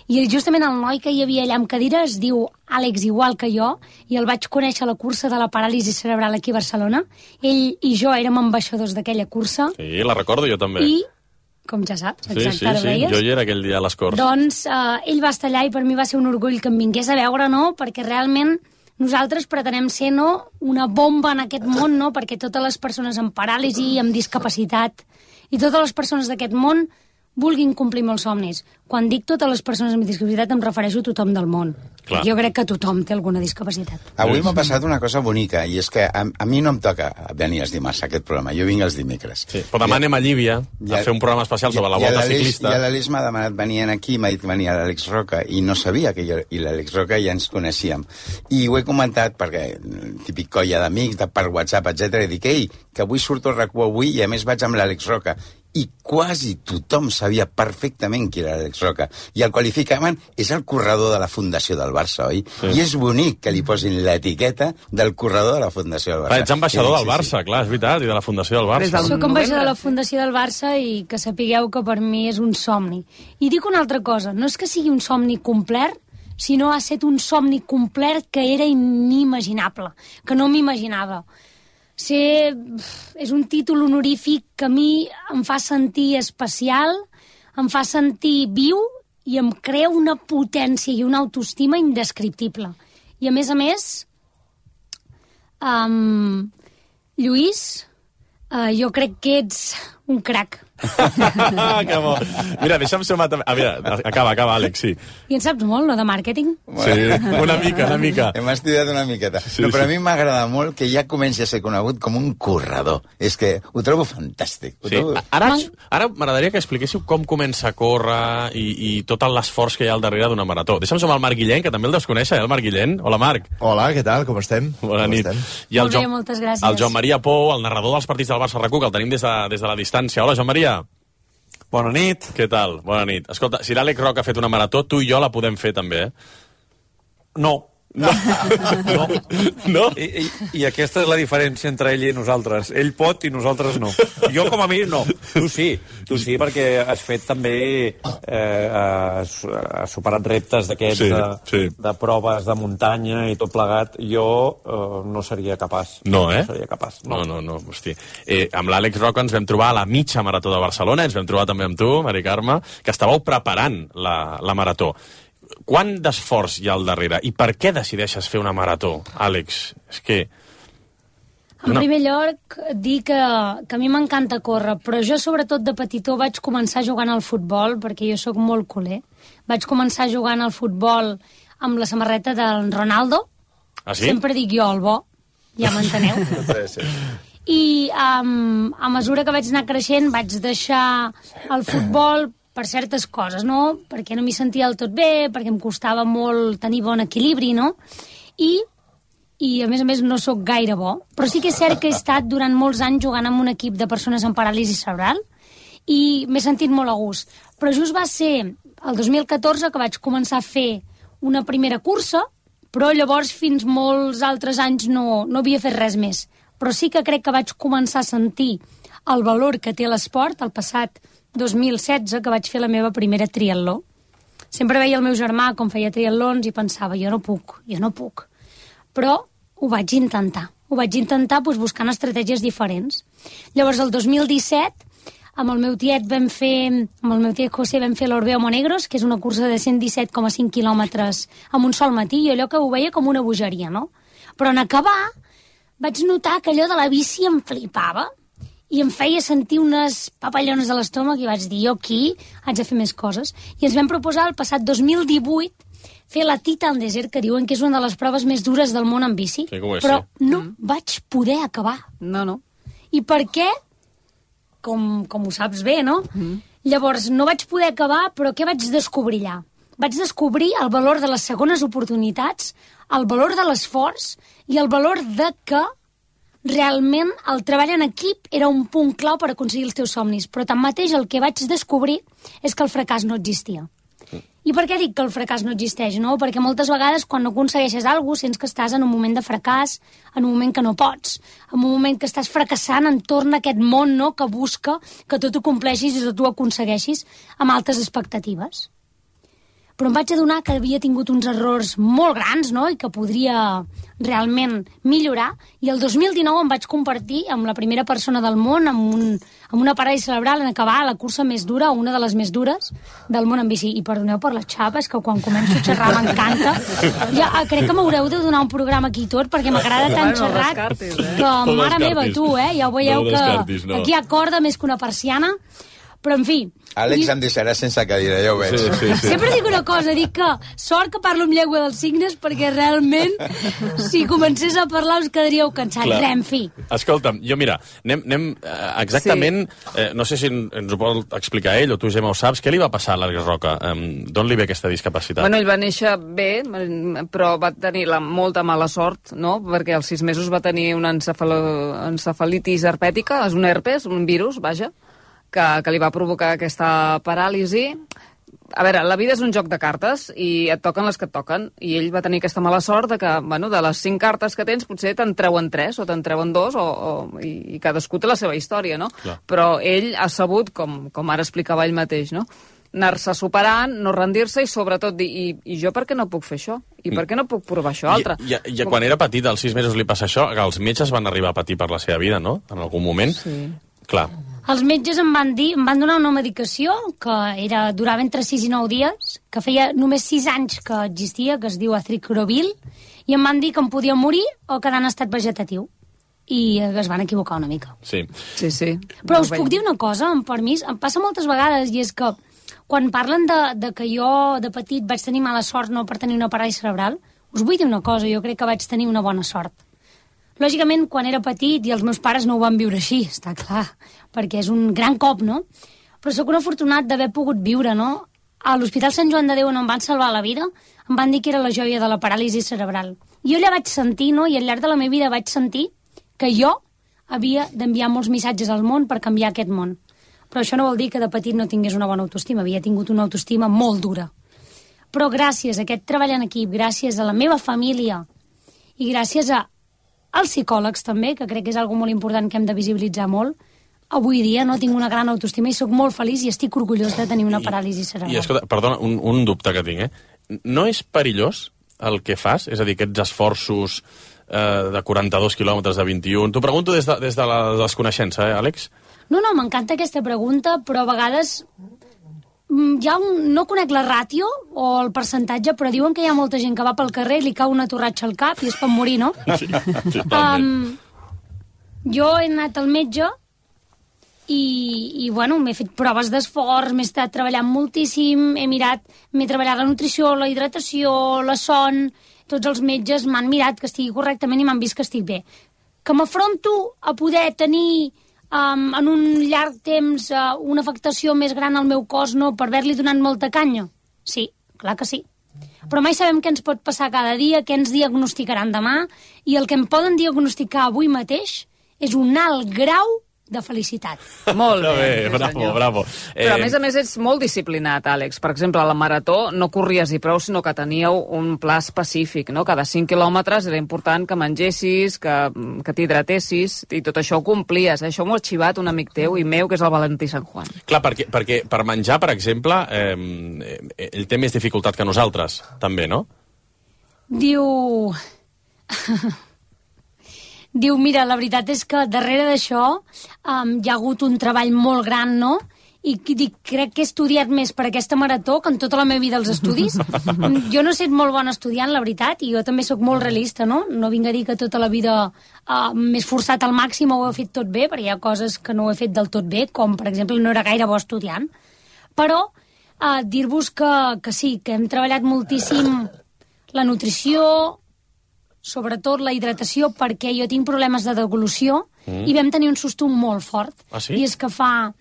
I justament el noi que hi havia allà amb cadira es diu Àlex, igual que jo, i el vaig conèixer a la cursa de la paràlisi cerebral aquí a Barcelona. Ell i jo érem ambaixadors d'aquella cursa. Sí, la recordo jo també. I, com ja saps, exacte, sí, jo hi era aquell dia a les Corts. Doncs ell va estar allà i per mi va ser un orgull que em vingués a veure, no?, perquè realment nosaltres pretenem ser, no?, una bomba en aquest món, no?, perquè totes les persones amb paràlisi, amb discapacitat i totes les persones d'aquest món vulguin complir molts somnis. Quan dic totes les persones amb discapacitat em refereixo a tothom del món. Clar. Jo crec que tothom té alguna discapacitat. Avui m'ha passat una cosa bonica, i és que a mi no em toca venir els dimarts a aquest programa, jo vinc els dimecres. Sí, però demà anem a Llívia a fer un programa especial sobre la volta ciclista. I l'Àlex m'ha demanat venir aquí, m'ha dit venir a l'Àlex Roca, i no sabia que jo i l'Àlex Roca ja ens coneixíem. I ho he comentat perquè, típic colla d'amics, per WhatsApp, etc. i dic, ei, que avui surto al RAC1 avui i a més vaig amb l'Àlex Roca. I quasi tothom sabia perfectament qui era l'Àlex Roca. I el qualificaven, és el corredor de la Fundació del Barça, oi? Sí. I és bonic que li posin l'etiqueta del corredor de la Fundació del Barça. Ets ambaixador del Barça, clar, és veritat, i de la Fundació del Barça. Soc ambaixador de la Fundació del Barça i que sapigueu que per mi és un somni. I dic una altra cosa, no és que sigui un somni complet, sinó ha estat un somni complet que era inimaginable, que no m'imaginava. És un títol honorífic que a mi em fa sentir especial, em fa sentir viu i em crea una potència i una autoestima indescriptible. I a més, Lluís, jo crec que ets un crac. Que bo. Mira, deixa'm sumar també. Mira, acaba, Àlex, sí. I en saps molt, no, de màrqueting? Sí, una mica. Hem estudiat una miqueta. Sí, no, però a mi m'agrada molt que ja comenci a ser conegut com un corredor. És que ho trobo fantàstic. Sí. Ara m'agradaria que expliquéssiu com comença a córrer i tot l'esforç que hi ha al darrere d'una marató. Deixa'm sumar el Marc Guillén, que també el deus conèixer, el Marc Guillén. Hola, Marc. Hola, què tal? Com estem? Bona nit. I molt bé, moltes gràcies. El Joan Maria Pou, el narrador dels partits del Barça RAC1, que el tenim des de la distància. Hola, Joan Maria. Bona nit. Què tal? Bona nit. Escolta, si l'Àlex Roca ha fet una marató, tu i jo la podem fer també, No. No? I aquesta és la diferència entre ell i nosaltres. Ell pot i nosaltres no. Jo, com a mi, no. Tu sí, perquè has fet també... has superat reptes d'aquests de proves de muntanya i tot plegat. Jo no seria capaç. No, No seria capaç. No. Hosti. Amb l'Àlex Roca ens vam trobar a la mitja marató de Barcelona, ens vam trobar també amb tu, Mari Carme, que estàveu preparant la marató. Quant d'esforç hi ha al darrere? I per què decideixes fer una marató, Àlex? És que... En primer lloc, dir que a mi m'encanta córrer, però jo sobretot de petitó vaig començar jugant al futbol, perquè jo sóc molt culer. Vaig començar jugant al futbol amb la samarreta del Ronaldo. Ah, sí? Sempre dic jo el bo, ja m'enteneu. Sí. I a mesura que vaig anar creixent vaig deixar el futbol per certes coses, no? Perquè no m'hi sentia del tot bé, perquè em costava molt tenir bon equilibri, no? I a més no sóc gaire bo, però sí que és cert que he estat durant molts anys jugant amb un equip de persones amb paràlisi cerebral i m'he sentit molt a gust. Però just va ser el 2014 que vaig començar a fer una primera cursa, però llavors fins molts altres anys no havia fet res més. Però sí que crec que vaig començar a sentir el valor que té l'esport el passat 2016, que vaig fer la meva primera triatló. Sempre veia el meu germà com feia triatlons i pensava, jo no puc. Però ho vaig intentar. Ho vaig intentar buscant estratègies diferents. Llavors, el 2017 amb el meu tiet José vam fer l'Orbeo Monegros, que és una cursa de 117,5 quilòmetres en un sol matí, i allò que ho veia com una bogeria, no? Però en acabar vaig notar que allò de la bici em flipava i em feia sentir unes papallones a l'estómac i vaig dir, jo aquí haig de fer més coses. I ens vam proposar el passat 2018 fer la Titan Desert, que diuen que és una de les proves més dures del món en bici, sí, però no vaig poder acabar. No. I per què? Com ho saps bé, no? Llavors, no vaig poder acabar, però què vaig descobrir allà? Vaig descobrir el valor de les segones oportunitats, el valor de l'esforç i el valor de que realment el treball en equip era un punt clau per aconseguir els teus somnis. Però tanmateix el que vaig descobrir és que el fracàs no existia. I per què dic que el fracàs no existeix? No? Perquè moltes vegades quan no aconsegueixes alguna cosa sents que estàs en un moment de fracàs, en un moment que no pots, en un moment que estàs fracassant entorn a aquest món, no?, que busca que tot ho compleixis i tot ho aconsegueixis amb altes expectatives. Però em vaig adonar que havia tingut uns errors molt grans, no?, i que podria realment millorar, i el 2019 em vaig convertir en la primera persona del món amb una paràlisi cerebral en acabar la cursa més dura, una de les més dures del món en bici. I perdoneu per la xapa, és que quan començo a xerrar m'encanta. Ja, crec que m'haureu de donar un programa aquí tot, perquè m'agrada tant xerrat que, mare meva, tu, ja ho veieu que aquí hi ha corda més que una persiana. Però, en fi... Àlex em deixarà sense cadira, ja ho veig. Sí. Sempre dic una cosa, dic que sort que parlo amb llengua dels signes, perquè realment, si comencés a parlar, us quedaríeu cansats. Res, en fi. Escolta'm, jo mira, anem exactament... no sé si ens ho pot explicar ell, o tu, Gemma, ho saps. Què li va passar a l'Àlex Roca? D'on li ve aquesta discapacitat? Bueno, ell va néixer bé, però va tenir molta mala sort, no?, perquè als 6 mesos va tenir una encefalitis herpètica, és un herpes, un virus, vaja, que li va provocar aquesta paràlisi. A veure, la vida és un joc de cartes i et toquen les que et toquen. I ell va tenir aquesta mala sort de que, bueno, de les 5 cartes que tens, potser te'n treuen 3 o te'n treuen 2 i cadascú té la seva història, no? Clar. Però ell ha sabut, com ara explicava ell mateix, no?, anar-se superant, no rendir-se i sobretot dir, i jo per què no puc fer això? I per què no puc provar això altre? I quan era petit, als 6 mesos li passa això, els metges van arribar a patir per la seva vida, no?, en algun moment. Sí. Clar. Els metges em van donar una medicació que durava entre 6 i 9 dies, que feia només 6 anys que existia, que es diu Atriclovir, i em van dir que em podia morir o quedar en estat vegetatiu. I es van equivocar una mica. Sí. Però us puc dir una cosa, amb permís? Em passa moltes vegades, i és que quan parlen de que jo de petit vaig tenir mala sort no per tenir una paràlisi cerebral, us vull dir una cosa, jo crec que vaig tenir una bona sort. Lògicament, quan era petit i els meus pares no ho van viure així, està clar, perquè és un gran cop, no? Però sóc un afortunat d'haver pogut viure, no? A l'Hospital Sant Joan de Déu, on em van salvar la vida, em van dir que era la joia de la paràlisi cerebral. Jo allà vaig sentir, no?, i al llarg de la meva vida vaig sentir que jo havia d'enviar molts missatges al món per canviar aquest món. Però això no vol dir que de petit no tingués una bona autoestima, havia tingut una autoestima molt dura. Però gràcies a aquest treball en equip, gràcies a la meva família i gràcies als psicòlegs també, que crec que és una cosa molt important que hem de visibilitzar molt, avui dia no tinc una gran autoestima i sóc molt feliç i estic orgullós de tenir una paràlisi cerebral. I escolta, perdona, un dubte que tinc, No és perillós el que fas? És a dir, aquests esforços de 42 quilòmetres de 21... T'ho pregunto des de la desconeixença, Àlex? No, m'encanta aquesta pregunta, però a vegades ja no conec la ràtio o el percentatge, però diuen que hi ha molta gent que va pel carrer i li cau una torratxa al cap i es pot morir, no? Sí, totalment. Jo he anat al metge i bueno, m'he fet proves d'esforç, m'he estat treballant moltíssim, m'he treballat la nutrició, la hidratació, la son, tots els metges m'han mirat que estigui correctament i m'han vist que estic bé. Que m'afronto a poder tenir en un llarg temps una afectació més gran al meu cos, no, per haver-li donat molta canya? Sí, clar que sí. Però mai sabem què ens pot passar cada dia, què ens diagnosticaran demà, i el que em poden diagnosticar avui mateix és un alt grau de felicitat. Molt bé, bravo. Però a més ets molt disciplinat, Àlex. Per exemple, a la marató no corries i prou, sinó que teníeu un pla específic, no? Cada 5 quilòmetres era important que mengessis, que t'hidratessis, i tot això ho complies. Això m'ho ha arxivat un amic teu i meu, que és el Valentí Sant Juan. Clar, perquè per menjar, per exemple, ell té més dificultat que nosaltres, també, no? Diu diu, mira, la veritat és que darrere d'això hi ha hagut un treball molt gran, no? I dic, crec que he estudiat més per aquesta marató que en tota la meva vida als estudis. Jo no he estat molt bona estudiant, la veritat, i jo també sóc molt realista, no? No vinc a dir que tota la vida m'he esforçat al màxim o ho he fet tot bé, perquè hi ha coses que no ho he fet del tot bé, com, per exemple, no era gaire bo estudiant. Però dir-vos que sí, que hem treballat moltíssim la nutrició, sobretot la hidratació, perquè jo tinc problemes de deglució, i vam tenir un susto molt fort. Ah, sí? I és que fa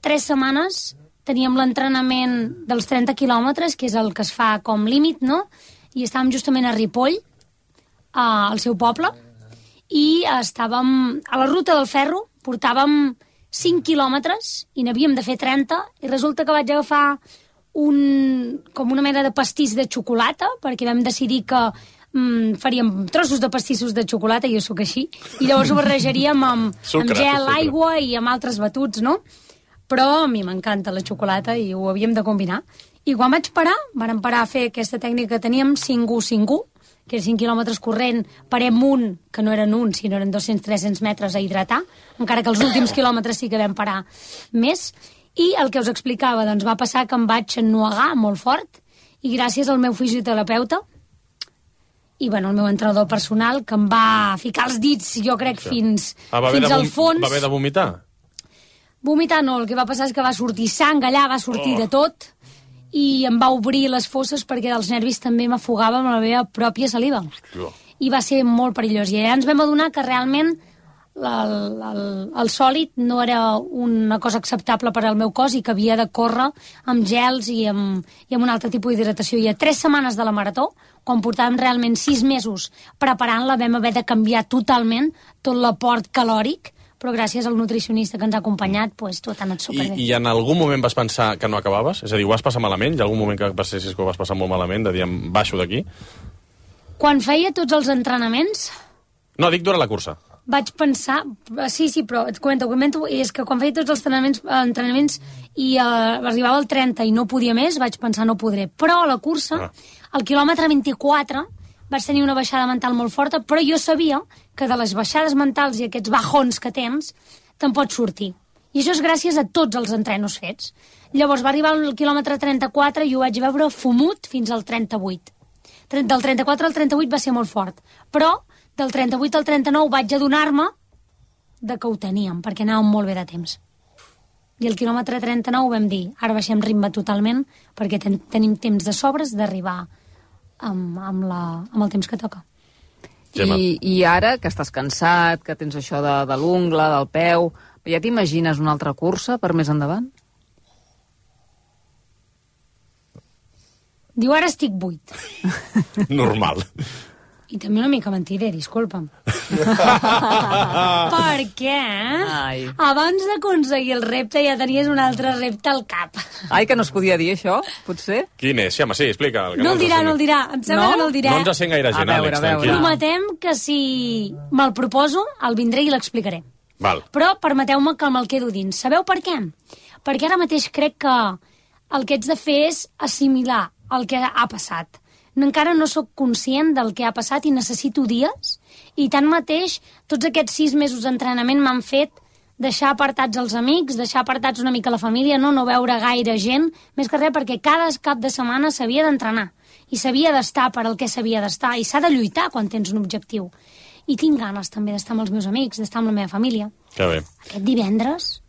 3 setmanes teníem l'entrenament dels 30 quilòmetres, que és el que es fa com límit, no? I estàvem justament a Ripoll, al seu poble, i estàvem a la ruta del ferro, portàvem 5 quilòmetres i n'havíem de fer 30, i resulta que vaig agafar com una mena de pastís de xocolata, perquè vam decidir que faríem trossos de pastissos de xocolata, jo sóc així, i llavors ho barrejaríem amb gel, aigua i amb altres batuts, no? Però a mi m'encanta la xocolata i ho havíem de combinar. I quan vaig parar, vàrem parar a fer aquesta tècnica que teníem 5-1-5-1, que era 5 quilòmetres corrent, parem un, que no eren un, sinó eren 200-300 metres a hidratar, encara que els últims quilòmetres sí que vam parar més. I el que us explicava, doncs va passar que em vaig ennuegar molt fort, i gràcies al meu fisioterapeuta, i bueno, el meu entrenador personal, que em va ficar els dits, jo crec, fins al fons. Va haver de vomitar? Vomitar no, el que va passar és que va sortir sang allà, va sortir de tot, i em va obrir les fosses perquè dels nervis també m'afogava amb la meva pròpia saliva. I va ser molt perillós. I allà ens vam adonar que realment el sòlid no era una cosa acceptable per al meu cos i que havia de córrer amb gels i amb un altre tipus d'hidratació. I a 3 setmanes de la marató, quan portàvem realment 6 mesos preparant-la, vam haver de canviar totalment tot l'aport calòric, però gràcies al nutricionista que ens ha acompanyat, doncs tot ha anat superbé. I en algun moment vas pensar que no acabaves? És a dir, ho vas passar malament? Hi ha algun moment que pensessis que ho vas passar molt malament, de dir, em baixo d'aquí? Quan feia tots els entrenaments... No, dic durant la cursa. Vaig pensar... Sí, però et comento, i és que quan feia tots els entrenaments i arribava al 30 i no podia més, vaig pensar no podré. Però a la cursa, al quilòmetre 24... vaig tenir una baixada mental molt forta, però jo sabia que de les baixades mentals i aquests bajons que tens, te'n pots sortir. I això és gràcies a tots els entrenos fets. Llavors va arribar al quilòmetre 34 i ho vaig veure fumut fins al 38. Del 34 al 38 va ser molt fort, però del 38 al 39 vaig adonar-me de que ho teníem, perquè anàvem molt bé de temps. I al quilòmetre 39 vam dir, ara baixem ritme totalment, perquè tenim temps de sobres d'arribar amb el temps que toca. I ara, que estàs cansat, que tens això de l'ungla, del peu, ja t'imagines una altra cursa per més endavant? Diu, ara estic buit. Normal. I també una mica mentider, disculpa'm. Perquè abans d'aconseguir el repte ja tenies un altre repte al cap. Ai, que no es podia dir això, potser? Quin és? Sí, home, sí, explica. No el dirà. Em sembla que no el dirà. No ens sent gaire gent, Àlex, tranquil. Prometem que si me'l proposo, el vindré i l'explicaré. Val. Però permeteu-me que me'l quedo dins. Sabeu per què? Perquè ara mateix crec que el que ets de fer és assimilar el que ha passat. Encara no sóc conscient del que ha passat i necessito dies, i tanmateix tots aquests 6 mesos d'entrenament m'han fet deixar apartats els amics, deixar apartats una mica la família, no veure gaire gent, més que res perquè cada cap de setmana s'havia d'entrenar i s'havia d'estar per al que s'havia d'estar, i s'ha de lluitar quan tens un objectiu. I tinc ganes també d'estar amb els meus amics, d'estar amb la meva família. Que bé. Aquest divendres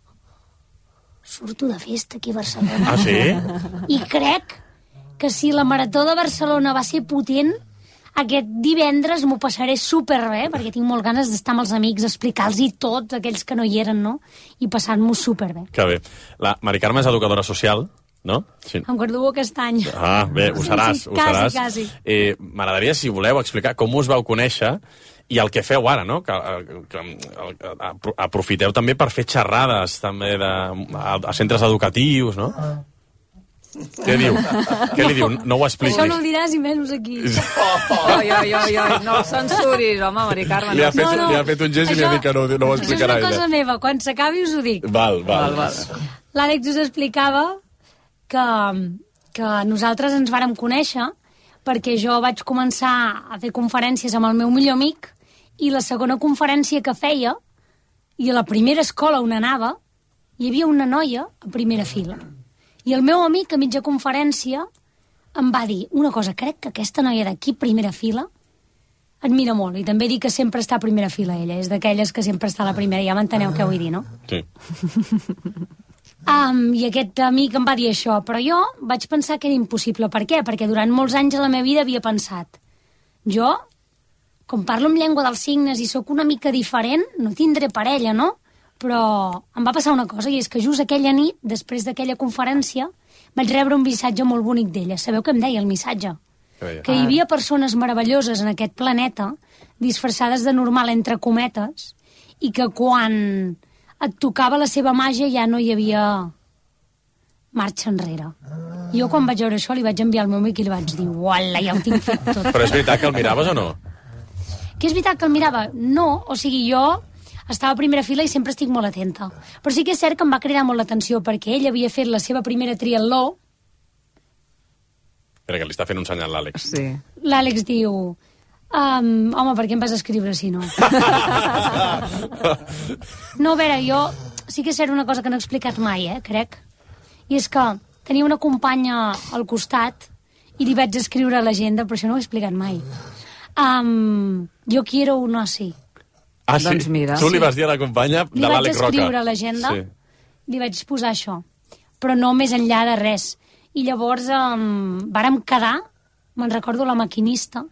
surto de festa aquí a Barcelona. Ah, sí? I crec que si la Marató de Barcelona va ser potent, aquest divendres m'ho passaré superbé, perquè tinc molt ganes d'estar amb els amics, explicar-los tots, aquells que no hi eren, no? I passar-m'ho superbé. Que bé. La Mari Carme és educadora social, no? Sí. Em graduo aquest any. Ah, bé, ho seràs. Sí, ho seràs. quasi. M'agradaria, si voleu, explicar com us vau conèixer i el que feu ara, no? Que aprofiteu també per fer xerrades també a centres educatius, no? Què diu? Què li diu? No ho expliquis. Això no ho diràs i menys aquí. Oi, no el censuris, home, Mari Carme. Li ha fet un gest i li ha dit que no ho explicarà ella. Això és una cosa meva, quan s'acabi us ho dic. Val. L'Àlex us explicava que nosaltres ens vàrem conèixer perquè jo vaig començar a fer conferències amb el meu millor amic i la segona conferència que feia, i a la primera escola on anava, hi havia una noia a primera fila. I el meu amic, a mitja conferència, em va dir una cosa, crec que aquesta noia d'aquí, primera fila, admira molt. I també dic que sempre està a primera fila, ella. És d'aquelles que sempre està a la primera. Ja m'enteneu què vull dir, no? Sí. I aquest amic em va dir això, però jo vaig pensar que era impossible. Per què? Perquè durant molts anys a la meva vida havia pensat, jo, com parlo en llengua dels signes i sóc una mica diferent, no tindré parella, no? Però em va passar una cosa, i és que just aquella nit, després d'aquella conferència, vaig rebre un missatge molt bonic d'ella. Sabeu què em deia el missatge? Que hi havia persones meravelloses en aquest planeta, disfressades de normal entre cometes, i que quan et tocava la seva màgia ja no hi havia marxa enrere. Jo quan vaig veure això li vaig enviar al meu amic i li vaig dir uala, ja ho tinc fet tot. Però és veritat que el miraves o no? Que és veritat que el mirava? No, o sigui, jo estava a primera fila i sempre estic molt atenta. Però sí que és cert que em va cridar molt l'atenció perquè ell havia fet la seva primera triatló. Espera, que li està fent un senyal l'Àlex. Sí. L'Àlex diu... home, per què em vas escriure si no? No, a veure, jo sí que és cert una cosa que no he explicat mai, crec. I és que tenia una companya al costat i li vaig escriure a l'agenda, però això no ho he explicat mai. Jo quiero un así. Ah, sí? Doncs mira. Tu li vas dir a la companya de l'Àlex Roca. Li vaig escriure a l'agenda, li vaig posar això, però no més enllà de res. I llavors vàrem quedar, me'n recordo la maquinista,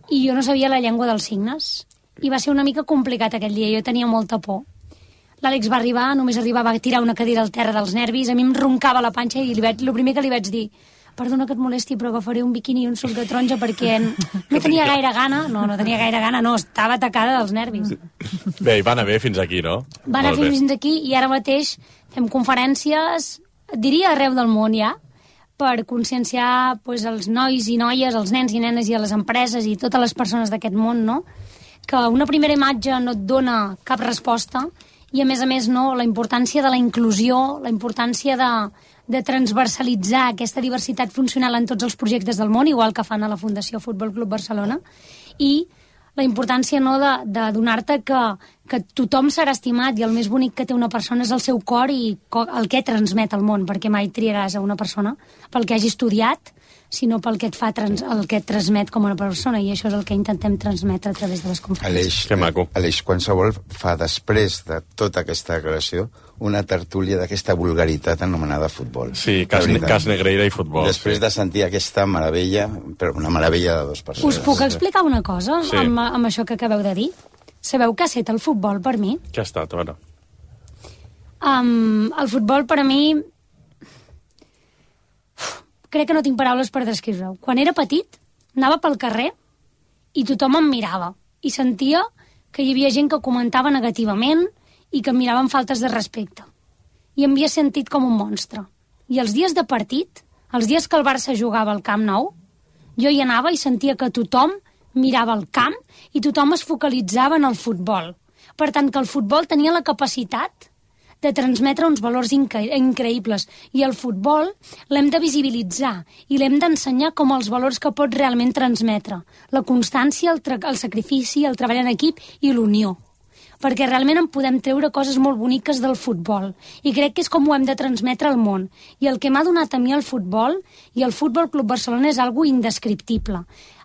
i jo no sabia la llengua dels signes. I va ser una mica complicat aquell dia, jo tenia molta por. L'Àlex va arribar, només arribava a tirar una cadira al terra dels nervis, a mi em roncava la panxa i el primer que li vaig dir, perdona que et molesti, però agafaré un biquini i un suc de taronja perquè no tenia gaire gana, no, estava atacada dels nervis. Bé, i va anar bé fins aquí, no? Va anar fins aquí i ara mateix fem conferències, diria arreu del món ja, per conscienciar els nois i noies, els nens i nenes i a les empreses i totes les persones d'aquest món, no? Que una primera imatge no et dona cap resposta i, a més, no, la importància de la inclusió, la importància de transversalitzar aquesta diversitat funcional en tots els projectes del món, igual que fan a la Fundació Futbol Club Barcelona, i la importància de donar-te que tothom serà estimat i el més bonic que té una persona és el seu cor i el que transmet al món, perquè mai triaràs a una persona pel que hagi estudiat, sinó pel que el que et transmet com una persona, i això és el que intentem transmetre a través de les conferències. Aleix, qualsevol fa després de tota aquesta declaració una tertúlia d'aquesta vulgaritat anomenada futbol. Sí, cas Negreira i futbol. Després de sentir aquesta meravella, però una meravella de dues persones. Us puc explicar una cosa amb això que acabeu de dir? Sabeu què ha estat el futbol per mi? Què ha estat, a veure? El futbol per a mi... Crec que no tinc paraules per descriure-ho. Quan era petit, anava pel carrer i tothom em mirava. I sentia que hi havia gent que comentava negativament i que em mirava amb faltes de respecte. I em havia sentit com un monstre. I els dies de partit, els dies que el Barça jugava al Camp Nou, jo hi anava i sentia que tothom mirava el camp i tothom es focalitzava en el futbol. Per tant, que el futbol tenia la capacitat de transmetre uns valors increïbles. I el futbol l'hem de visibilitzar i l'hem d'ensenyar com els valors que pot realment transmetre. La constància, el sacrifici, el treball en equip i l'unió. Perquè realment en podem treure coses molt boniques del futbol. I crec que és com ho hem de transmetre al món. I el que m'ha donat a mi el futbol i el Futbol Club Barcelona és algo indescriptible.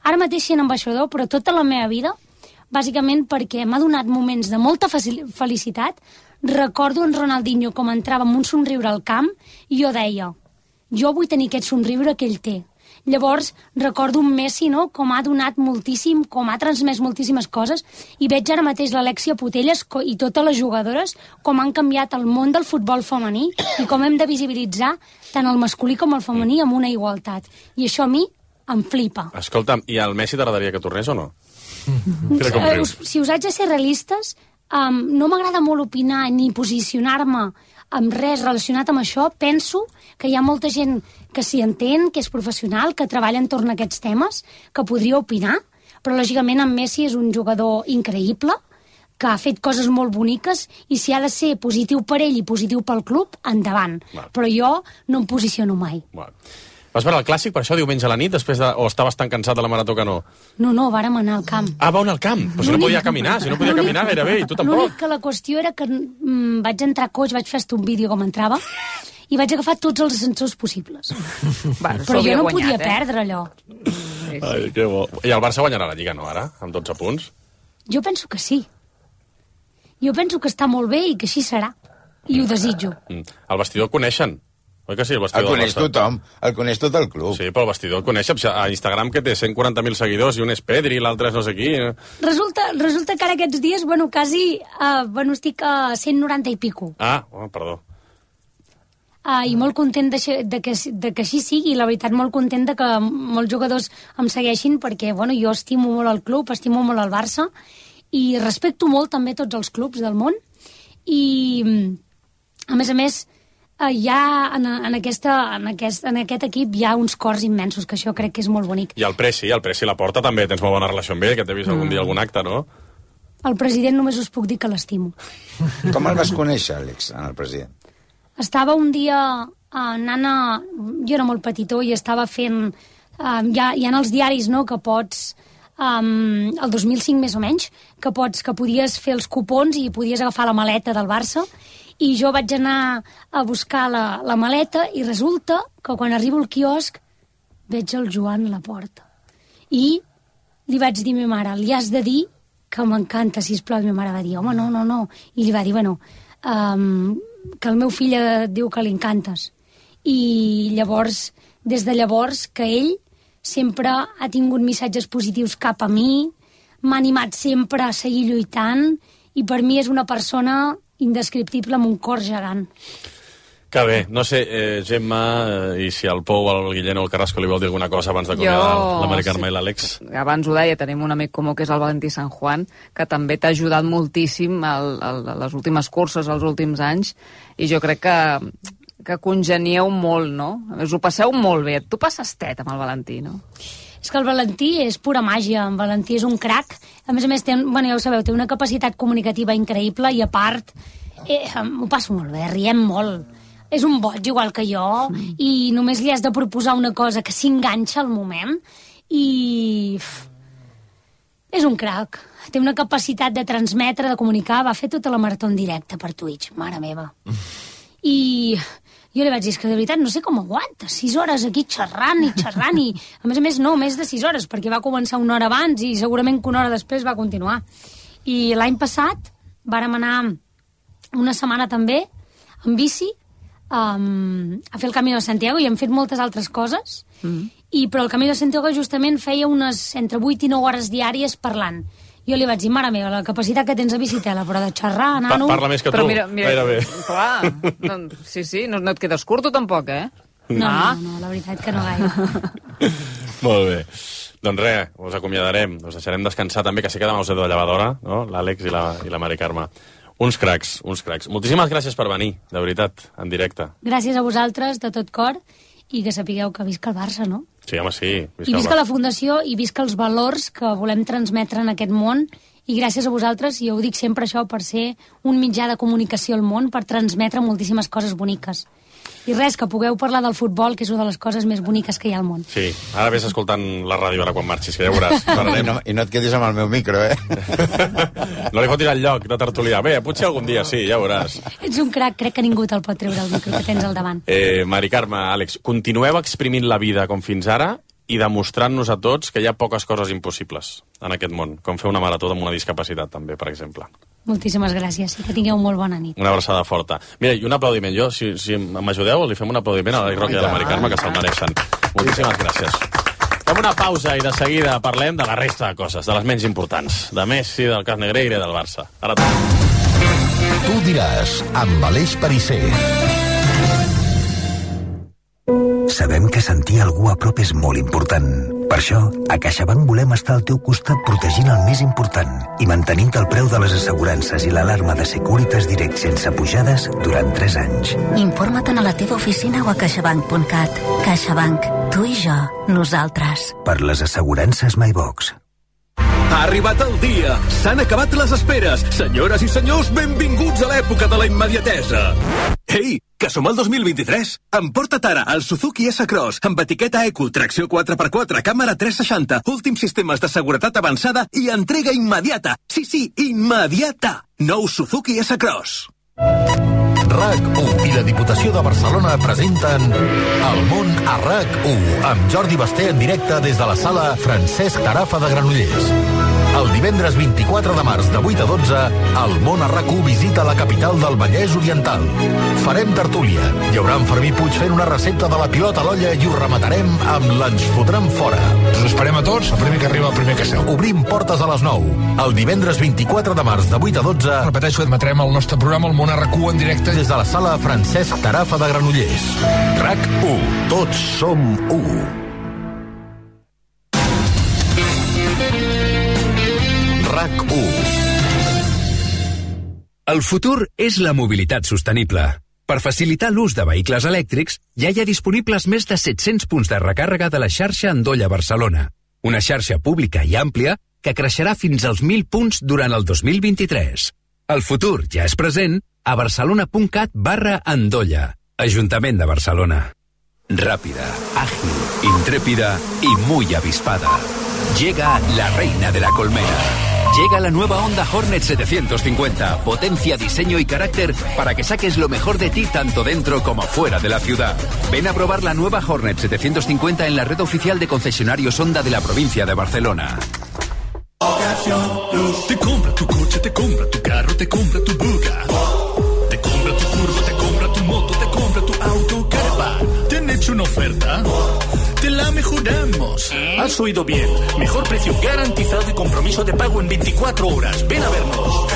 Ara mateix sent ambaixador, però tota la meva vida, bàsicament perquè m'ha donat moments de molta felicitat. Recordo en Ronaldinho com entrava amb un somriure al camp i jo deia, jo vull tenir aquest somriure que ell té. Llavors recordo un Messi, no?, com ha donat moltíssim, com ha transmès moltíssimes coses, i veig ara mateix l'Alexia Putellas i totes les jugadores com han canviat el món del futbol femení i com hem de visibilitzar tant el masculí com el femení amb una igualtat. I això a mi em flipa. Escolta'm, i al Messi t'agradaria que tornés o no? Si us haig de ser realistes, no m'agrada molt opinar ni posicionar-me amb res relacionat amb això. Penso que hi ha molta gent que s'hi entén, que és professional, que treballa entorn a aquests temes, que podria opinar, però lògicament en Messi és un jugador increïble, que ha fet coses molt boniques, i si ha de ser positiu per ell i positiu pel club, endavant. Però jo no em posiciono mai. Vas veure el clàssic, per això, diumenge a la nit, o estaves tan cansat de la marató que no? No, vàrem anar al camp. Ah, vau anar al camp? Però si no podia caminar, gairebé, i tu tampoc. L'únic que la qüestió era que vaig entrar a coix, vaig fer un vídeo com entrava, i vaig agafar tots els ascensors possibles. Però jo no podia perdre allò. Ai, que bo. I el Barça guanyarà la Lliga, no, ara? Amb 12 punts? Jo penso que sí. Jo penso que està molt bé i que així serà. I ho desitjo. El vestidor el coneixen. Oi que sí, el vestidor? El coneix tothom, el coneix tot el club. Sí, però el vestidor el coneix a Instagram, que té 140.000 seguidors, i un és Pedri, l'altre és no sé qui. Resulta que ara aquests dies, quasi, estic a 190 i pico. Perdó. I molt content de que així sigui, la veritat, molt content de que molts jugadors em segueixin, perquè jo estimo molt el club, estimo molt el Barça, i respecto molt també tots els clubs del món, i a més, ja en aquest equip hi ha uns cors immensos, que això crec que és molt bonic. I el Presi la porta també, tens molt bona relació amb ell, que t'he vist algun dia algun acte, no? El president només us puc dir que l'estimo. Com el vas conèixer, Àlex, el president? Estava un dia anant jo era molt petitó i estava fent... hi ha els diaris, no?, que pots... el 2005 més o menys, que podies fer els cupons i podies agafar la maleta del Barça, i jo vaig anar a buscar la maleta i resulta que quan arribo al quiosc veig el Joan a la porta. I li vaig dir a ma mare, li has de dir que m'encanta, sisplau. I ma mare va dir, home, no. I li va dir, que el meu fill diu que li encantes. I llavors, des de llavors, que ell sempre ha tingut missatges positius cap a mi, m'ha animat sempre a seguir lluitant, i per mi és una persona indescriptible amb un cor gegant. Que bé, no sé, Gemma, i si el Pou, el Guillén o el Carrasco li vol dir alguna cosa abans d'acomiadar la Mari Carme i l'Àlex. Abans ho deia, tenim un amic comú que és el Valentí San Juan, que també t'ha ajudat moltíssim a les últimes curses, als últims anys, i jo crec que congenieu molt, no? Us ho passeu molt bé. Tu passes tet amb el Valentí, no? És que el Valentí és pura màgia, el Valentí és un crac. A més, ja ho sabeu, té una capacitat comunicativa increïble i a part m'ho passo molt bé, riem molt. És un boig igual que jo i només li has de proposar una cosa que s'enganxa al moment i... és un crac. Té una capacitat de transmetre, de comunicar. Va fer tota la marató en directe per Twitch, mare meva. I jo li vaig dir, és que de veritat no sé com aguanta 6 hores aquí xerrant i a més no, més de 6 hores, perquè va començar una hora abans i segurament que una hora després va continuar. I l'any passat vàrem anar una setmana també en bici a fer el Camí de Santiago i hem fet moltes altres coses, però el Camí de Santiago justament feia unes entre 8 i 9 hores diàries parlant. Jo li vaig dir, mare meva, la capacitat que tens a bicicleta, però de xerrar, nano... Parla més que tu, gairebé. Clar, sí, no et quedes curt, tu tampoc, eh? No, la veritat que no gaire. Molt bé. Doncs res, us acomiadarem, us deixarem descansar també, que sé que demà us he de llevadora, no? L'Àlex i la Mari Carme. Uns cracs. Moltíssimes gràcies per venir, de veritat, en directe. Gràcies a vosaltres, de tot cor, i que sapigueu que visca el Barça, no? Sí, home, sí. I visca la Fundació, i visca els valors que volem transmetre en aquest món, i gràcies a vosaltres, i jo ho dic sempre això, per ser un mitjà de comunicació al món, per transmetre moltíssimes coses boniques. I res, que pugueu parlar del futbol, que és una de les coses més boniques que hi ha al món. Sí, ara vés escoltant la ràdio ara quan marxis, que ja veuràs. I no et quedis amb el meu micro, eh? No li fotis el lloc de tertulià. Bé, potser algun dia sí, ja veuràs. Ets un crac, crec que ningú te'l pot treure el micro que tens al davant. Mari Carme, Àlex, continueu exprimint la vida com fins ara i demostrant-nos a tots que hi ha poques coses impossibles en aquest món, com fer una marató amb una discapacitat, també, per exemple. Moltíssimes gràcies i que tingueu molt bona nit. Una abraçada forta. Mira, i un aplaudiment. Jo, si m'ajudeu, li fem un aplaudiment a l'Àlex Roca i a la Mari Carme, que se'l mereixen. Moltíssimes gràcies. Fem una pausa i de seguida parlem de la resta de coses, de les menys importants. De Messi, del cas Negreira i del Barça. Ara Tu diràs, amb Aleix Perisser. Sabem que sentir algú a prop és molt important. Per això, a CaixaBank volem estar al teu costat protegint el més important i mantenint el preu de les assegurances i l'alarma de Securitas Direct sense pujades durant 3 anys. Informa't a la teva oficina o a caixabank.cat. CaixaBank. Tu i jo. Nosaltres. Per les assegurances MyBox. Ha arribat el dia. S'han acabat les esperes. Senyores i senyors, benvinguts a l'època de la immediatesa. Ei, Que som al 2023. Emporta't ara el Suzuki S-Cross amb etiqueta Eco, tracció 4x4, càmera 360, últims sistemes de seguretat avançada i entrega immediata. Sí, immediata. Nou Suzuki S-Cross. RAC1 i la Diputació de Barcelona presenten El món a RAC1 amb Jordi Basté en directe des de la sala Francesc Tarafa de Granollers. El divendres 24 de març de 8 a 12, el món a RAC1 visita la capital del Vallès Oriental. Farem tertúlia. Hi haurà en Fermí Puig fent una recepta de la pilota a l'olla i ho rematarem amb l'Ens fotran fora. Us esperem a tots, el primer que arriba, el primer que seu. Obrim portes a les 9. El divendres 24 de març de 8 a 12... Repeteixo, admetrem el nostre programa, el món a RAC1 en directe. Des de la sala Francesc Tarafa de Granollers. RAC1. Tots som 1. RAC1. El futur és la mobilitat sostenible. Per facilitar l'ús de vehicles elèctrics, ja hi ha disponibles més de 700 punts de recàrrega de la xarxa Endolla Barcelona. Una xarxa pública i àmplia que creixerà fins als 1.000 punts durant el 2023. El futur ja és present a barcelona.cat/Endolla. Ajuntament de Barcelona. Rápida, ágil, intrépida y muy avispada. Llega la reina de la colmena. Llega la nueva Honda Hornet 750. Potencia, diseño y carácter para que saques lo mejor de ti tanto dentro como fuera de la ciudad. Ven a probar la nueva Hornet 750 en la red oficial de concesionarios Honda de la provincia de Barcelona. Te compra tu coche, te compra tu carro, te compra tu buga. Te compra tu curva, te compra tu moto, te compra tu auto, caravan. ¿Te han hecho una oferta? Te la mejoramos. Has oído bien. Mejor precio garantizado y compromiso de pago en 24 horas. Ven a vernos.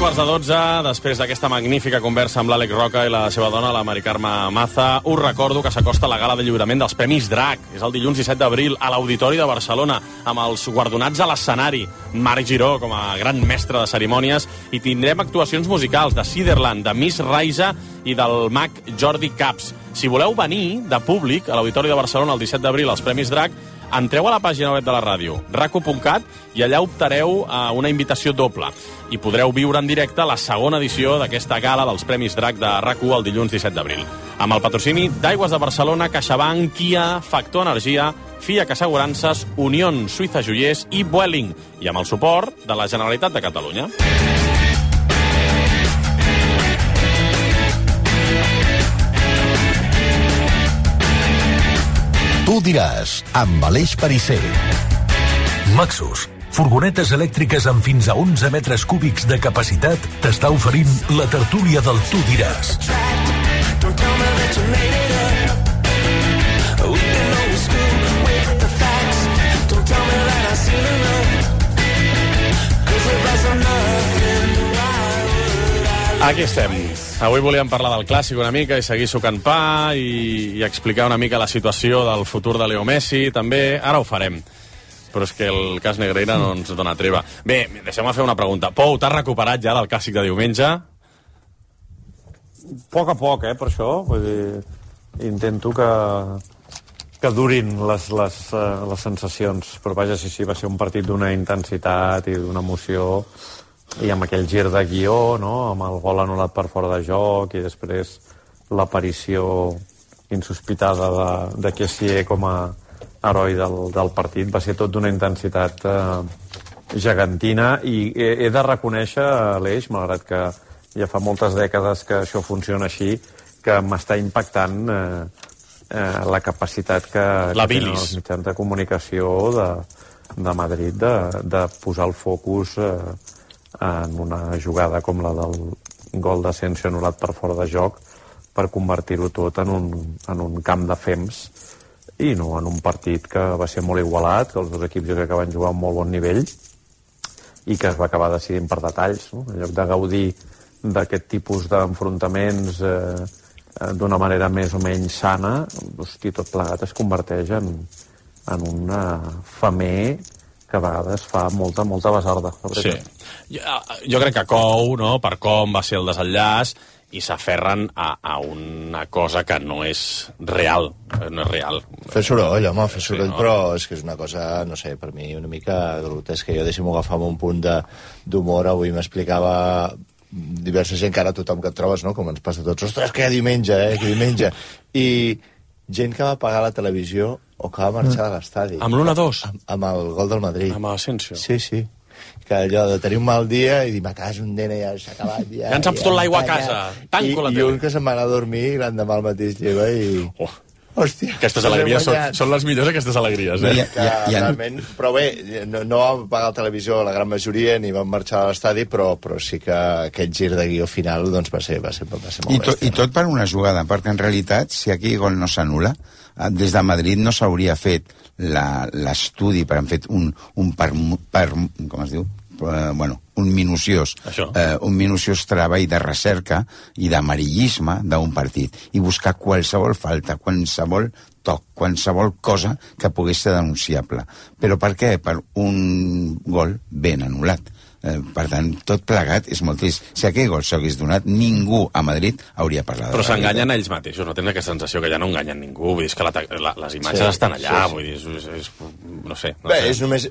Quarts de 12, després d'aquesta magnífica conversa amb l'Àlex Roca i la seva dona, la Mari Carme Maza, us recordo que s'acosta la gala de lliurament dels Premis DRAC. És el dilluns 17 d'abril a l'Auditori de Barcelona, amb els guardonats a l'escenari. Marc Giró, com a gran mestre de cerimònies, i tindrem actuacions musicals de Ciderland, de Miss Raisa i del mag Jordi Caps. Si voleu venir de públic a l'Auditori de Barcelona el 17 d'abril als Premis DRAC, entreu a la pàgina web de la ràdio, rac1.cat, i allà optareu a una invitació doble. I podreu viure en directe la segona edició d'aquesta gala dels Premis DRAC de RAC1 el dilluns 17 d'abril. Amb el patrocini d'Aigües de Barcelona, CaixaBank, Kia, Factor Energia, FIAC Assegurances, Unión Suïssa Joiers i Vueling, i amb el suport de la Generalitat de Catalunya. Tu diràs, amb Aleix Perisser. Maxus, furgonetes elèctriques amb fins a 11 metres cúbics de capacitat, t'està oferint la tertúlia del Tu diràs. Aquí estem. Avui volíem parlar del clàssic una mica i seguir sucant pa i explicar una mica la situació del futur de Leo Messi, també. Ara ho farem. Però és que el cas Negreira no ens dona treva. Bé, deixeu-me fer una pregunta. Pou, t'has recuperat ja del clàssic de diumenge? A poc, per això. Vull dir, intento que durin les sensacions. Però vaja, sí, va ser un partit d'una intensitat i d'una emoció, i amb aquell gir de guió, no? Amb el gol anul·lat per fora de joc i després l'aparició insospitada de Kessié com a heroi del partit. Va ser tot d'una intensitat gegantina, i he de reconèixer, Aleix, malgrat que ja fa moltes dècades que això funciona així, que m'està impactant la capacitat que tenen els mitjans de comunicació de Madrid de posar el focus en una jugada com la del gol d'Asensio anul·lat per fora de joc, per convertir-ho tot en un camp de fems i no en un partit que va ser molt igualat, que els dos equips jo crec que van jugar a un molt bon nivell i que es va acabar decidint per detalls, no? En lloc de gaudir d'aquest tipus d'enfrontaments d'una manera més o menys sana, hosti, tot plegat es converteix en un femer que a vegades fa molta basarda. Sí. Jo crec que cou, no?, per com va ser el desenllaç, i s'aferren a una cosa que no és real. No és real. Fer soroll, home, fer soroll, sí, no? Però és que és una cosa, no sé, per mi una mica grotesca. Jo deixem-ho agafar amb un punt d'humor. Avui m'explicava diversa gent, que ara tothom que et trobes, no?, com ens passa a tots, ostres, que diumenge, que diumenge. I gent que va pagar la televisió o que va marxar de l'estadi. Amb l'1-2? Amb el gol del Madrid. Amb l'Asensio? Sí, sí. Que allò de tenir un mal dia i dir, ma casa, un nena, ja s'ha acabat. Ja ens han fotut l'aigua a casa. Tanco la tele. I un que se'n va anar a dormir i l'endemà al mateix lleva i... Hòstia. Aquestes alegries són les millors, aquestes alegries, eh? Realment, però bé, no vam pagar la televisió la gran majoria ni vam marxar a l'estadi, però sí que aquest gir de guió final doncs, va ser molt bèstia. I tot per una jugada, perquè en realitat, si aquell gol no s'anul·la, des de Madrid no s'hauria fet l'estudi, per han fet un com es diu? Un minuciós treball de recerca i d'amarillisme d'un partit i buscar qualsevol falta, qualsevol toc, qualsevol cosa que pogués ser denunciable. Però per què? Per un gol ben anul·lat. Per tant, tot plegat és molt trist. Si aquell gol s'hagués donat, ningú a Madrid hauria parlat. Però s'enganyen ells mateixos, no tenen aquesta sensació que ja no enganyen ningú, vull dir, que les imatges estan allà, vull dir, no sé. Bé, és només,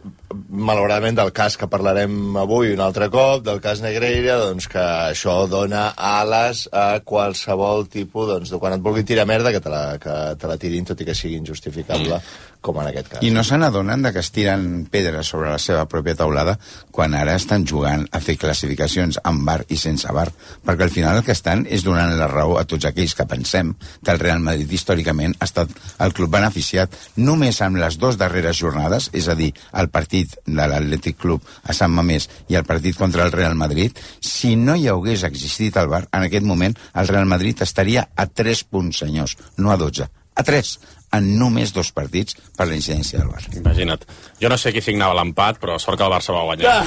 malauradament, del cas que parlarem avui un altre cop, del cas Negreira, doncs que això dona ales a qualsevol tipus, doncs, de quan et vulguin tirar merda, que te la tirin, tot i que sigui injustificable, com en aquest cas. I no se n'adonen que es tiren pedres sobre la seva pròpia taulada quan ara estan jugant a fer classificacions amb VAR i sense VAR, perquè al final el que estan és donant la raó a tots aquells que pensem que el Real Madrid històricament ha estat el club beneficiat només amb les 2 darreres jornades, és a dir, el partit de l'Atlètic Club a Sant Mamés i el partit contra el Real Madrid. Si no hi hagués existit el VAR, en aquest moment el Real Madrid estaria a 3 punts, senyors, no a 12, a 3, en només 2 partits per la incidència del VAR. Imagina't. Jo no sé qui signava l'empat, però sort que el Barça va guanyar.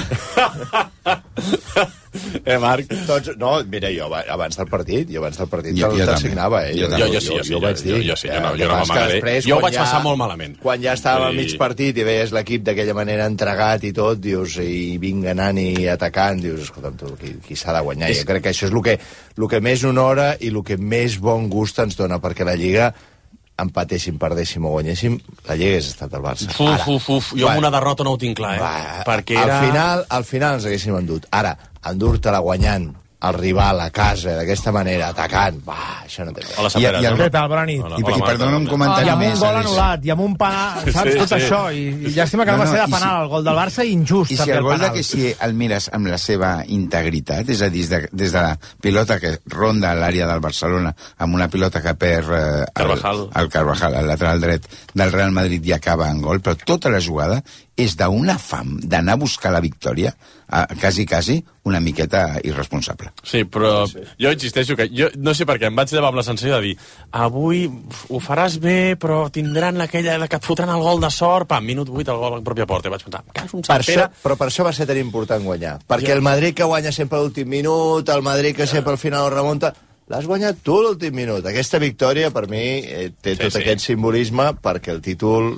Marc? No, mira, jo abans del partit te'l signava, Jo vaig dir. Jo no m'amagaré. Jo ho vaig passar molt malament. Quan ja estava al mig partit i veies l'equip d'aquella manera entregat i tot, dius, i vinc anant i atacant, dius, escolta'm tu, qui s'ha de guanyar? Jo crec que això és el que més honora i el que més bon gust ens dona, perquè la Lliga, empatéssim, perdéssim o guanyéssim, la Lliga hagués estat el Barça. Jo amb una derrota no ho tinc clar, perquè al final ens haguéssim endut. Ara, endur-te-la guanyant el rival a casa d'aquesta manera, atacant, això no té res. Què tal, bona nit? I perdona un comentari més. I amb un gol anul·lat, i amb un penal, saps, tot això, i llàstima que no va ser de penal el gol del Barça, injust també el penal. I si el gol que si el mires amb la seva integritat, és a dir, des de la pilota que ronda l'àrea del Barcelona, amb una pilota que perd el Carvajal, el lateral dret del Real Madrid, i acaba en gol, però tota la jugada és d'una fam d'anar a buscar la victòria, quasi una miqueta irresponsable. Sí, però jo insisteixo que jo no sé per què em vaig llevar amb la sensació de dir avui ho faràs bé, però tindran aquella que et fotran el gol de sort, minut 8 el gol a la pròpia porta, i vaig pensar, però per això va ser tan important guanyar, perquè el Madrid que guanya sempre a l'últim minut, el Madrid que sempre al final ho remunta, l'has guanyat tu l'últim minut. Aquesta victòria per mi té tot aquest simbolisme, perquè el títol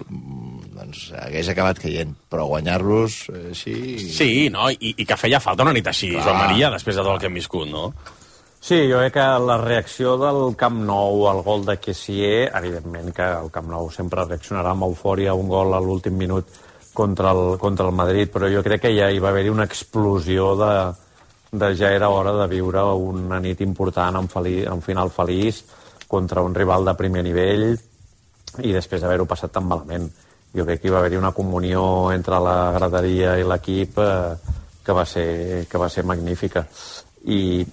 doncs hagués acabat caient, però guanyar-los així... Sí, no? I que feia falta una nit així, Joan Maria, després de tot el que hem viscut, no? Sí, jo crec que la reacció del Camp Nou al gol de Kessié, evidentment que el Camp Nou sempre reaccionarà amb eufòria a un gol a l'últim minut contra el Madrid, però jo crec que ja hi va haver-hi una explosió de ja era hora de viure una nit important en final feliç contra un rival de primer nivell i després d'haver-ho passat tan malament. Jo crec que hi va haver-hi una comunió entre la graderia i l'equip que va ser magnífica. I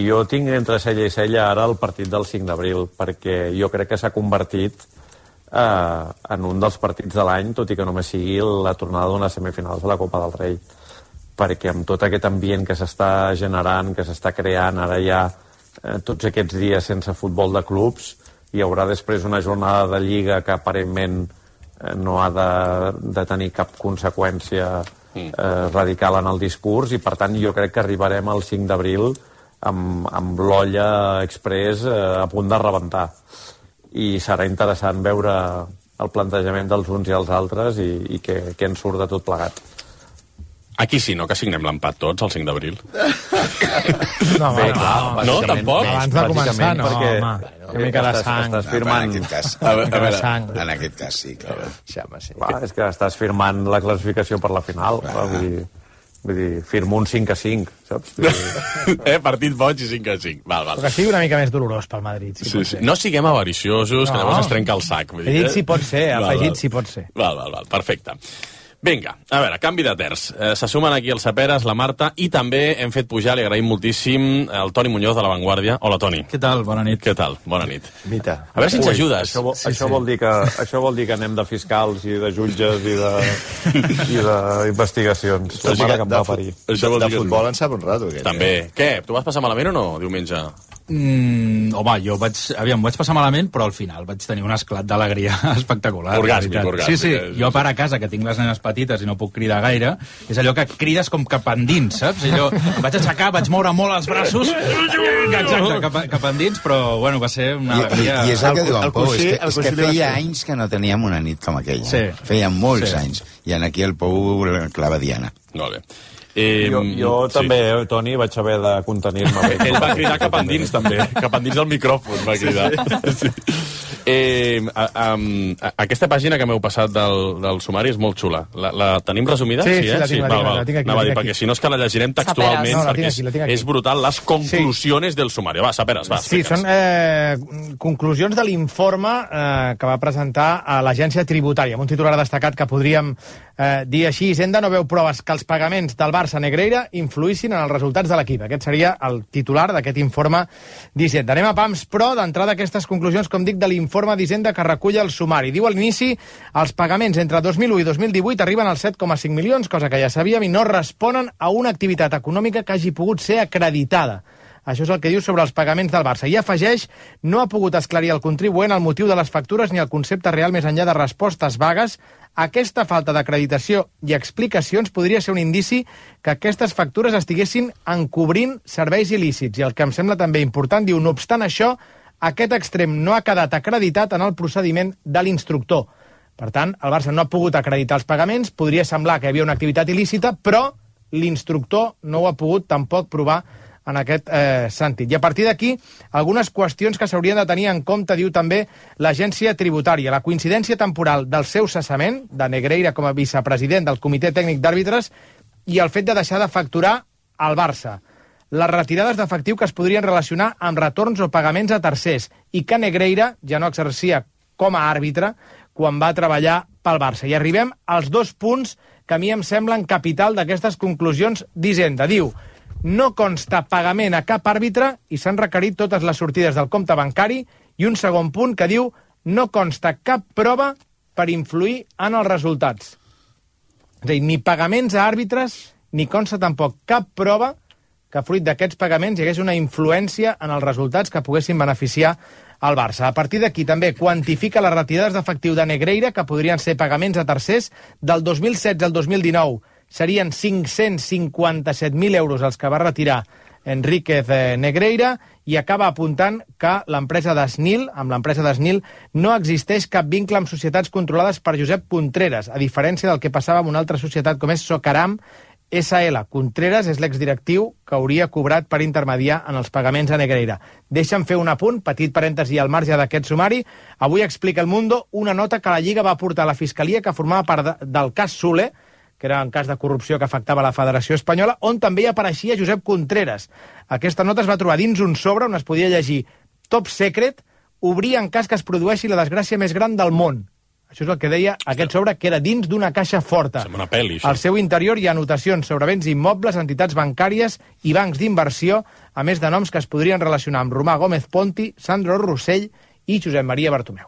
jo tinc entre cella i cella ara el partit del 5 d'abril, perquè jo crec que s'ha convertit en un dels partits de l'any, tot i que només sigui la tornada d'unes semifinals de la Copa del Rei. Perquè amb tot aquest ambient que s'està generant, que s'està creant ara ja tots aquests dies sense futbol de clubs, hi haurà després una jornada de Lliga que aparentment no ha de tenir cap conseqüència radical en el discurs, i per tant jo crec que arribarem al 5 d'abril amb l'olla express a punt de rebentar, i serà interessant veure el plantejament dels uns i els altres i què en surt de tot plegat. Aquí sí, no? Que signem l'empat tots, el 5 d'abril. No, bé, clar, no, tampoc? Abans de començar, no, perquè home. Una mica de sang. Estàs firmant... En aquest cas sí, clar. És que estàs firmant la classificació per la final. Vull dir, firmo un 5-5, saps? Partit boig i 5-5. Val. Però que sigui una mica més dolorós pel Madrid, si pot ser. No siguem avariciosos, que llavors es trenca el sac. He dit si pot ser, afegit si pot ser. Val, perfecte. Vinga, a veure, canvi de terç. Se sumen aquí els Saperes, la Marta, i també hem fet pujar, li agraïm moltíssim, el Toni Muñoz de La Vanguardia. Hola, Toni. Què tal? Bona nit. Què tal? Bona nit. Mita. A veure si ens ajudes. Això vol dir que anem de fiscals i de jutges i d'investigacions. La mare que em va parir. De futbol en sap un rato, aquest. També. Què? Tu vas passar malament o no, diumenge? Home, jo vaig passar malament, però al final vaig tenir un esclat d'alegria espectacular. Orgàsmic. Sí, jo a part a casa, que tinc les nenes petites i no puc cridar gaire, és allò que crides com cap endins, saps? Allò, em vaig aixecar, vaig moure molt els braços, exacte, cap endins, però bueno, va ser una alegria... I és el que diu en Pou, és que feia anys que no teníem una nit com aquella. Sí. Feia molts anys. I aquí el Pou clava diana. Molt bé. Jo també, Toni, vaig haver de contenir-me bé. Ell va cridar cap endins, també. Cap endins del micròfon va cridar. Sí. Aquesta pàgina que m'heu passat del sumari és molt xula. La tenim resumida? Sí, la tinc aquí. Perquè si no és que la llegirem textualment, perquè és brutal les conclusions del sumari. Va, Saperes, va. Sí, són conclusions de l'informe que va presentar a l'Agència Tributària, amb un titular destacat que podríem dir així: Hisenda no veu proves que els pagaments del Barça Negreira influïssin en els resultats de l'equip. Aquest seria el titular d'aquest informe d'Hisenda. Anem a pams, però, d'entrada aquestes conclusions, com dic, de l'informe d'Hisenda que recull el sumari. Diu a l'inici, els pagaments entre 2001 i 2018 arriben als 7,5 milions, cosa que ja sabíem, i no responen a una activitat econòmica que hagi pogut ser acreditada. Això és el que diu sobre els pagaments del Barça. I afegeix, no ha pogut esclarir el contribuent el motiu de les factures ni el concepte real més enllà de respostes vagues. Aquesta falta d'acreditació i explicacions podria ser un indici que aquestes factures estiguessin encobrint serveis il·lícits. I el que em sembla també important, diu, no obstant això, aquest extrem no ha quedat acreditat en el procediment de l'instructor. Per tant, el Barça no ha pogut acreditar els pagaments, podria semblar que hi havia una activitat il·lícita, però l'instructor no ho ha pogut tampoc provar en aquest sentit. I a partir d'aquí, algunes qüestions que s'haurien de tenir en compte, diu també l'Agència Tributària. La coincidència temporal del seu cessament, de Negreira com a vicepresident del Comitè Tècnic d'Àrbitres, i el fet de deixar de facturar al Barça. Les retirades d'efectiu que es podrien relacionar amb retorns o pagaments a tercers, i que Negreira ja no exercia com a àrbitre quan va treballar pel Barça. I arribem als dos punts que a mi em semblen capital d'aquestes conclusions d'Hisenda. Diu, no consta pagament a cap àrbitre i s'han requerit totes les sortides del compte bancari, i un segon punt que diu no consta cap prova per influir en els resultats. És a dir, ni pagaments a àrbitres, ni consta tampoc cap prova que fruit d'aquests pagaments hi hagués una influència en els resultats que poguessin beneficiar al Barça. A partir d'aquí també quantifica les retirades d'efectiu de Negreira, que podrien ser pagaments a tercers, del 2016 al 2019. Serien 557.000 euros els que va retirar Enríquez Negreira, i acaba apuntant que l'empresa d'Esnil, amb l'empresa d'Esnil, no existeix cap vincle amb societats controlades per Josep Contreras, a diferència del que passava amb una altra societat com és Socaram SL. Contreras és l'exdirectiu que hauria cobrat per intermediar en els pagaments a Negreira. Deixa'm fer un apunt, petit parèntesi al marge d'aquest sumari. Avui explica El Mundo una nota que la Lliga va portar a la Fiscalia que formava part del cas Soler, que era un cas de corrupció que afectava la Federació Espanyola, on també hi apareixia Josep Contreras. Aquesta nota es va trobar dins un sobre on es podia llegir Top Secret, obrir en cas que es produeixi la desgràcia més gran del món. Això és el que deia aquest sobre, que era dins d'una caixa forta. Sembla una pel·li, això. Al seu interior hi ha anotacions sobre béns immobles, entitats bancàries i bancs d'inversió, a més de noms que es podrien relacionar amb Romà Gómez Ponti, Sandro Rossell i Josep Maria Bartomeu.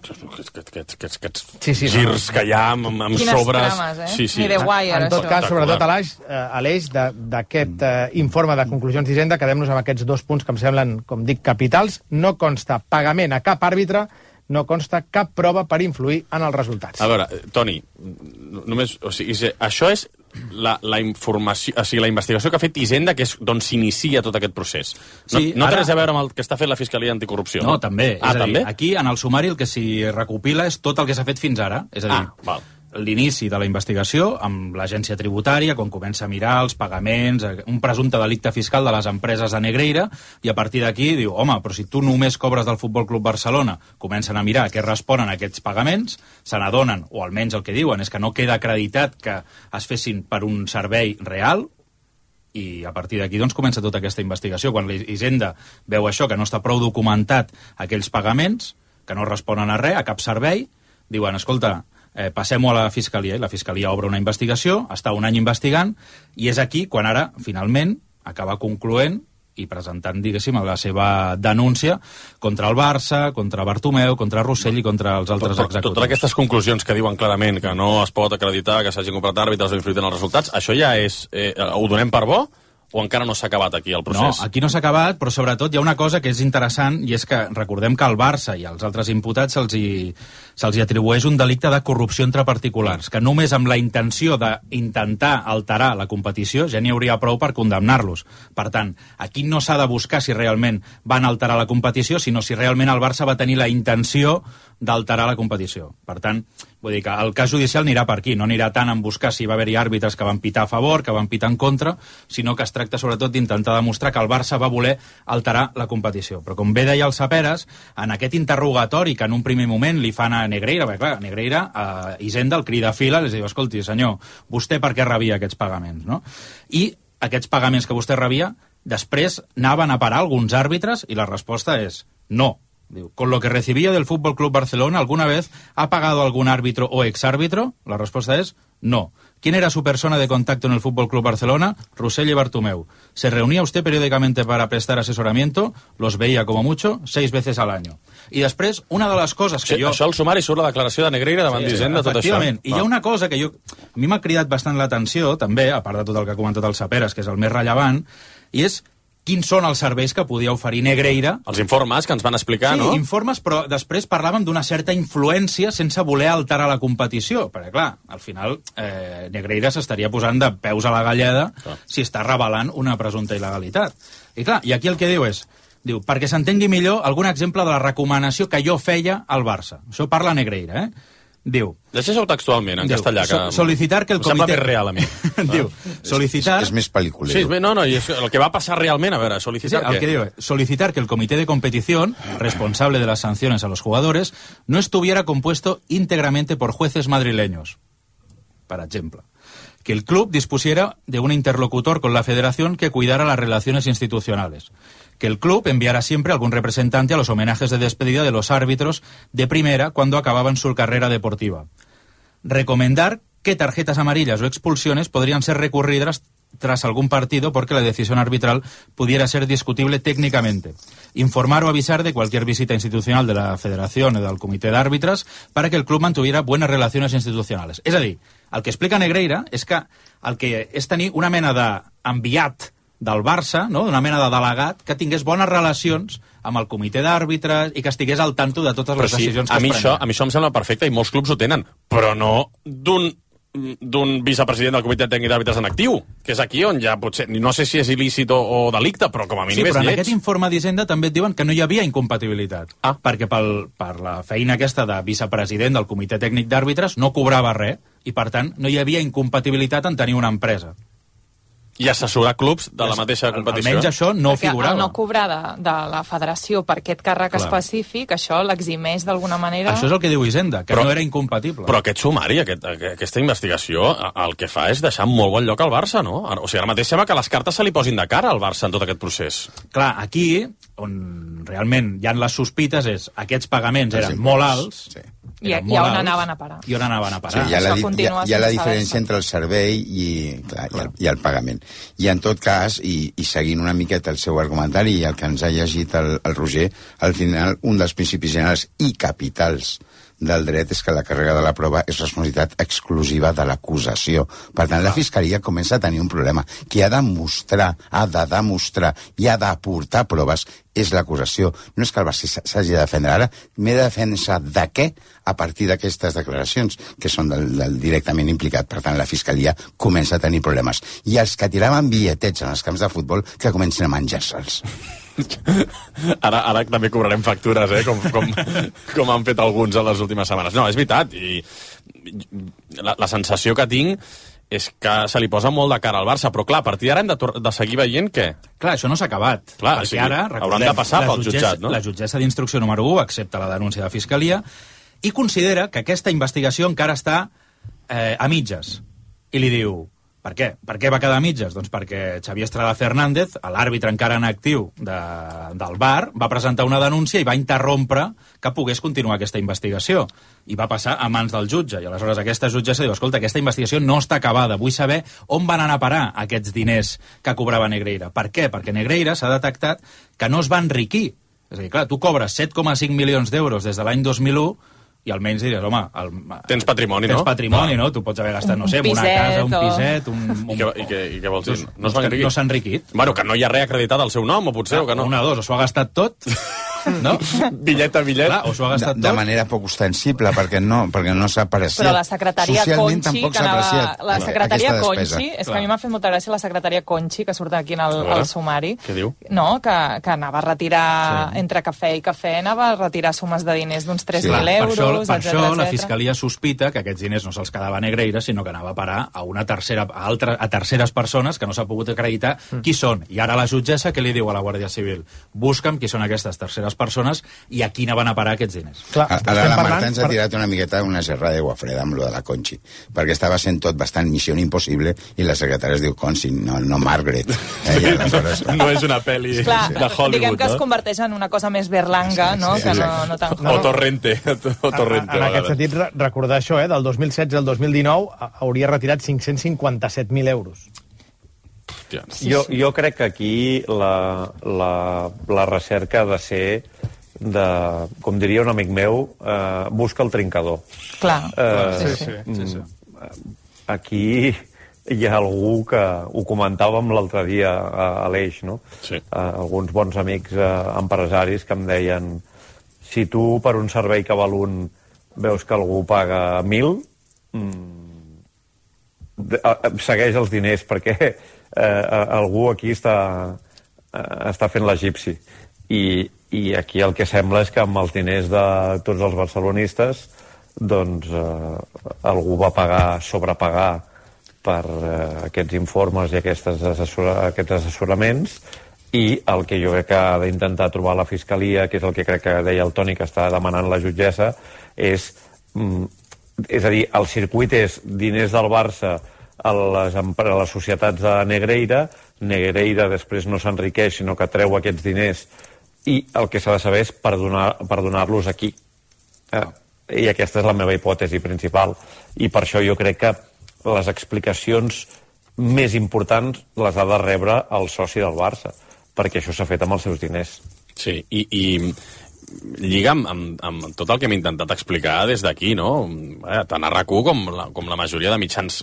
Aquests girs que hi ha amb sobres... Quines trames, Ni de Wire. En tot cas, sobretot a l'eix d'aquest informe de conclusions d'Hisenda, quedem-nos amb aquests dos punts que em semblen, com dic, capitals. No consta pagament a cap àrbitre, no consta cap prova per influir en els resultats. A veure, Toni, només, o sigui, això és la informació, o sigui, la investigació que ha fet Hisenda, que és d'on s'inicia tot aquest procés. No té res a veure amb el que està fent la Fiscalia Anticorrupció. No, també. És a dir, també? aquí, en el sumari, el que s'hi recopila és tot el que s'ha fet fins ara. És a dir, l'inici de la investigació amb l'agència tributària, quan comença a mirar els pagaments, un presumpte delicte fiscal de les empreses de Negreira, i a partir d'aquí diu, home, però si tu només cobres del Futbol Club Barcelona, comencen a mirar a què responen aquests pagaments, se n'adonen, o almenys el que diuen és que no queda acreditat que es fessin per un servei real, i a partir d'aquí doncs comença tota aquesta investigació. Quan l'Hisenda veu això, que no està prou documentat aquells pagaments, que no responen a res, a cap servei, diuen, escolta, passem-ho a la Fiscalia, i la Fiscalia obre una investigació, està un any investigant, i és aquí quan ara, finalment, acaba concloent i presentant, diguéssim, la seva denúncia contra el Barça, contra Bartomeu, contra Rossell i contra els altres executius. Totes aquestes conclusions que diuen clarament que no es pot acreditar que s'hagin comprat àrbitres o influït en els resultats, això ja és... ho donem per bo? O encara no s'ha acabat aquí el procés? No, aquí no s'ha acabat, però sobretot hi ha una cosa que és interessant, i és que recordem que al Barça i als altres imputats se'ls atribueix un delicte de corrupció entre particulars, que només amb la intenció d'intentar alterar la competició ja n'hi hauria prou per condemnar-los. Per tant, aquí no s'ha de buscar si realment van alterar la competició, sinó si realment el Barça va tenir la intenció d'alterar la competició. Per tant, vull dir que el cas judicial anirà per aquí, no anirà tant en buscar si va haver-hi àrbitres que van pitar a favor, que van pitar en contra, sinó que es tracta sobretot d'intentar demostrar que el Barça va voler alterar la competició. Però com bé deia el Saperes, en aquest interrogatori que en un primer moment li fan a Negreira, perquè clar, Negreira, a Hisenda, el crida a fila, li diu, escolti, senyor, vostè per què rebia aquests pagaments, no? I aquests pagaments que vostè rebia, després anaven a parar alguns àrbitres, i la resposta és no. Diu, con lo que recibía del Fútbol Club Barcelona, ¿alguna vez ha pagado algún árbitro o exárbitro? La respuesta es no. ¿Quién era su persona de contacto en el Fútbol Club Barcelona? Rossell y Bartomeu. ¿Se reunía usted periódicamente para prestar asesoramiento? Los veía como mucho 6 veces al año. I després, una de les coses que jo... Això al sumari surt la declaració de Negreira davant d'Hisenda, tot això. Efectivament. I hi ha una cosa que a mi m'ha cridat bastant l'atenció, també, a part de tot el que ha comentat el Saperes, que és el més rellevant, i és quins són els serveis que podia oferir Negreira. Els informes que ens van explicar, no? Sí, informes, però després parlàvem d'una certa influència sense voler alterar la competició, perquè, clar, al final Negreira s'estaria posant de peus a la galleda si està revelant una presumpta il·legalitat. I clar, i aquí el que diu és, perquè s'entengui millor algun exemple de la recomanació que jo feia al Barça. Això parla Negreira, Diu... Deixa-ho textualment, en castellà, que solicitar que el comitè... Em sembla més real a mi. Diu, solicitar... És més pel·lícula. Sí, i el que va passar realment, a veure, solicitar el que diu és, solicitar que el comité de competición, responsable de las sanciones a los jugadores, no estuviera compuesto íntegramente por jueces madrileños. Por ejemplo. Que el club dispusiera de un interlocutor con la federación que cuidara las relaciones institucionales. Que el club enviara siempre algún representante a los homenajes de despedida de los árbitros de primera cuando acababan su carrera deportiva. Recomendar que tarjetas amarillas o expulsiones podrían ser recurridas tras algún partido porque la decisión arbitral pudiera ser discutible técnicamente. Informar o avisar de cualquier visita institucional de la federación o del comité de árbitros para que el club mantuviera buenas relaciones institucionales. És a dir, el que explica Negreira és que el que és tenir una mena d'enviat del Barça, no? Una mena de delegat que tingués bones relacions amb el comitè d'àrbitres i que estigués al tanto de totes les decisions que es prenen. A mi això em sembla perfecte i molts clubs ho tenen, però no d'un vicepresident del comitè tècnic d'àrbitres en actiu, que és aquí on ja potser, no sé si és il·lícit o delicte, però com a mínim és lleig. Sí, però en aquest informe d'Hisenda també et diuen que no hi havia incompatibilitat, perquè per la feina aquesta de vicepresident del comitè tècnic d'àrbitres no cobrava res, i per tant no hi havia incompatibilitat en tenir una empresa. I assessorar clubs de la mateixa competició. Almenys això no figurava. El no cobrar de la federació per aquest càrrec específic, això l'eximeix d'alguna manera... Això és el que diu Hisenda, que no era incompatible. Però aquest sumari, aquesta investigació, el que fa és deixar molt bon lloc al Barça, no? O sigui, ara mateix sembla que les cartes se li posin de cara al Barça en tot aquest procés. Clar, aquí, on realment hi ha les sospites, és aquests pagaments eren molt alts... Sí. I on anaven a parar. I on anaven a parar. Sí, hi ha la diferència entre el servei i el pagament. I en tot cas, i seguint una miqueta el seu argumentari i el que ens ha llegit el Roger, al final un dels principis generals i capitals del dret és que la càrrega de la prova és responsabilitat exclusiva de l'acusació. Per tant, la Fiscalia comença a tenir un problema. Qui ha de demostrar i ha d'aportar proves és l'acusació. No és que el Barça s'hagi de defendre ara, m'he de defensar de què a partir d'aquestes declaracions, que són del directament implicat. Per tant, la Fiscalia comença a tenir problemes. I els que tiraven billetets en els camps de futbol, que comencin a menjar-se'ls. Ara també cobrarem factures, com han fet alguns en les últimes setmanes. No, és veritat, i la sensació que tinc és que se li posa molt de cara al Barça, però clar, a partir d'ara hem de seguir veient què? Clar, això no s'ha acabat. Clar, perquè ara, hauran de passar pel jutjat, no? La jutgessa d'instrucció número 1 accepta la denúncia de Fiscalia i considera que aquesta investigació encara està a mitges. I li diu, per què? Per què va quedar a mitges? Doncs perquè Xavier Estrada Fernández, l'àrbitre encara en actiu del VAR, va presentar una denúncia i va interrompre que pogués continuar aquesta investigació. I va passar a mans del jutge. I aleshores aquesta jutgessa diu, escolta, aquesta investigació no està acabada. Vull saber on van anar a parar aquests diners que cobrava Negreira. Per què? Perquè Negreira s'ha detectat que no es va enriquir. És a dir, clar, tu cobres 7,5 milions d'euros des de l'any 2001 i almenys diries, home... Tens patrimoni, no? Tens patrimoni, no? Tu pots haver gastat, no sé, una casa, un piset... I què vols dir? No s'ha enriquit. Bueno, que no hi ha res acreditat al seu nom, o potser, o que no? Una de dos, o s'ho ha gastat tot... No? Bitllet a bitllet. Clar, o s'ho ha gastat tot. De manera poc ostensible, perquè no s'ha apreciat. Però la secretària Socialment Conchi, tampoc s'ha apreciat. La secretària Conchi, és que a mi m'ha fet molta gràcia la secretària Conchi, que surt aquí al sumari. Què diu? No, que anava a retirar, entre cafè i cafè, anava a retirar sumes de diners d'uns 3.000 euros, per això la Fiscalia sospita que aquests diners no se'ls quedava a Negreira, sinó que anava a parar a terceres persones que no s'ha pogut acreditar qui són. I ara la jutgessa, què li diu a la Guàrdia Civil? Busca'm qui són aquestes terceres persones i a quina van a parar aquests diners. Clar, ara la Marta ens ha tirat una miqueta una gerra d'aigua freda amb lo de la Conchi, perquè estava sent tot bastant missió impossible i la secretària es diu Conchi, no Margaret. No és una pel·li de Hollywood, diguem que es converteix en una cosa més berlanga, no? Que no tan... O Torrente. En aquest sentit, recordar això, del 2016 al 2019 hauria retirat 557.000 euros. Jo crec que aquí la recerca ha de ser com diria un amic meu, busca el trincador. Clar. Sí. Aquí hi ha algú que ho comentàvem l'altre dia a l'Eix, no? Sí. Alguns bons amics empresaris que em deien, si tu per un servei que val un veus que algú paga 1.000, segueix els diners, perquè algú aquí està fent l'egipci. I aquí el que sembla és que amb els diners de tots els barcelonistes doncs algú va sobrepagar per aquests informes i aquests assessoraments, i el que jo crec que ha d'intentar trobar la Fiscalia, que és el que crec que deia el Toni que està demanant la jutgessa, és a dir, el circuit és diners del Barça a les societats de Negreira després no s'enriqueix, sinó que treu aquests diners, i el que s'ha de saber és per donar-los aquí. I aquesta és la meva hipòtesi principal. I per això jo crec que les explicacions més importants les ha de rebre el soci del Barça, perquè això s'ha fet amb els seus diners. Sí, i lliga amb tot el que hem intentat explicar des d'aquí, no? Tant a RAC1 com la majoria de mitjans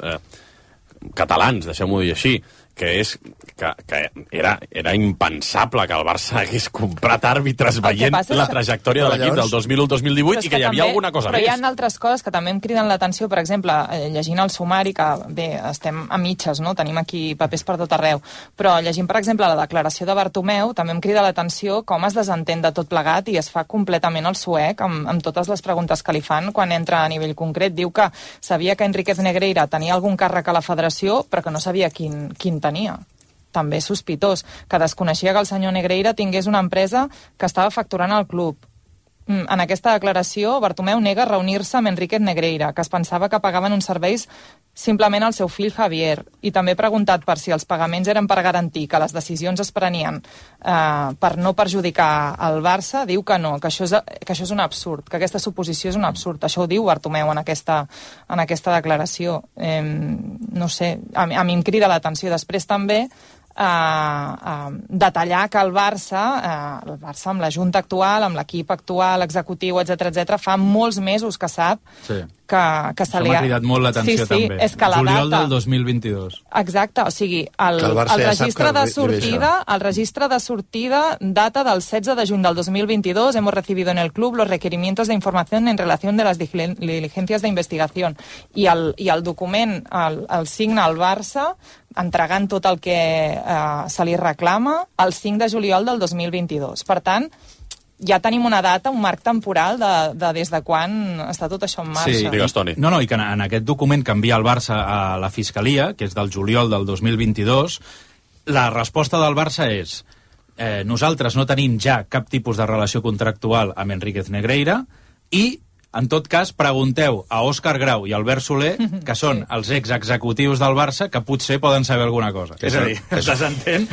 catalans, deixem-ho dir així, que és que era impensable que el Barça hagués comprat àrbitres veient la trajectòria de l'equip del 2001-2018 i que hi havia alguna cosa més. Però hi ha altres coses que també em criden l'atenció, per exemple, llegint el sumari, que bé, estem a mitges, no? Tenim aquí papers per tot arreu, però llegint, per exemple, la declaració de Bartomeu, també em crida l'atenció com es desentén de tot plegat i es fa completament el suec amb totes les preguntes que li fan quan entra a nivell concret. Diu que sabia que Enríquez Negreira tenia algun càrrec a la federació, però que no sabia quin tenia. També sospitós, que desconeixia que el senyor Negreira tingués una empresa que estava facturant al club. En aquesta declaració, Bartomeu nega reunir-se amb Enríquez Negreira, que es pensava que pagaven uns serveis simplement al seu fill Javier, i també preguntat per si els pagaments eren per garantir que les decisions es prenien per no perjudicar el Barça, diu que no, que això és un absurd, que aquesta suposició és un absurd. Això ho diu Bartomeu en aquesta declaració. No sé, a mi em crida l'atenció. Després també detallar que el Barça amb la Junta actual, amb l'equip actual, executiu, etc, fa molts mesos que sap que se li ha... M'ha cridat molt l'atenció, també. És que la Juliol data... del 2022. Exacte, o sigui, el registre de sortida data del 16 de juny del 2022. Hemos recibido en el club los requerimientos de información en relación de las diligencias de investigación. I el document el signa el Barça entregant tot el que se li reclama el 5 de juliol del 2022. Per tant, ja tenim una data, un marc temporal de des de quan està tot això en marxa. Sí, digues, Toni. No, i que en aquest document que envia el Barça a la Fiscalia, que és del juliol del 2022, la resposta del Barça és nosaltres no tenim ja cap tipus de relació contractual amb Enríquez Negreira i, en tot cas, pregunteu a Òscar Grau i Albert Soler, que són els executius del Barça, que potser poden saber alguna cosa. És a dir, es desentén.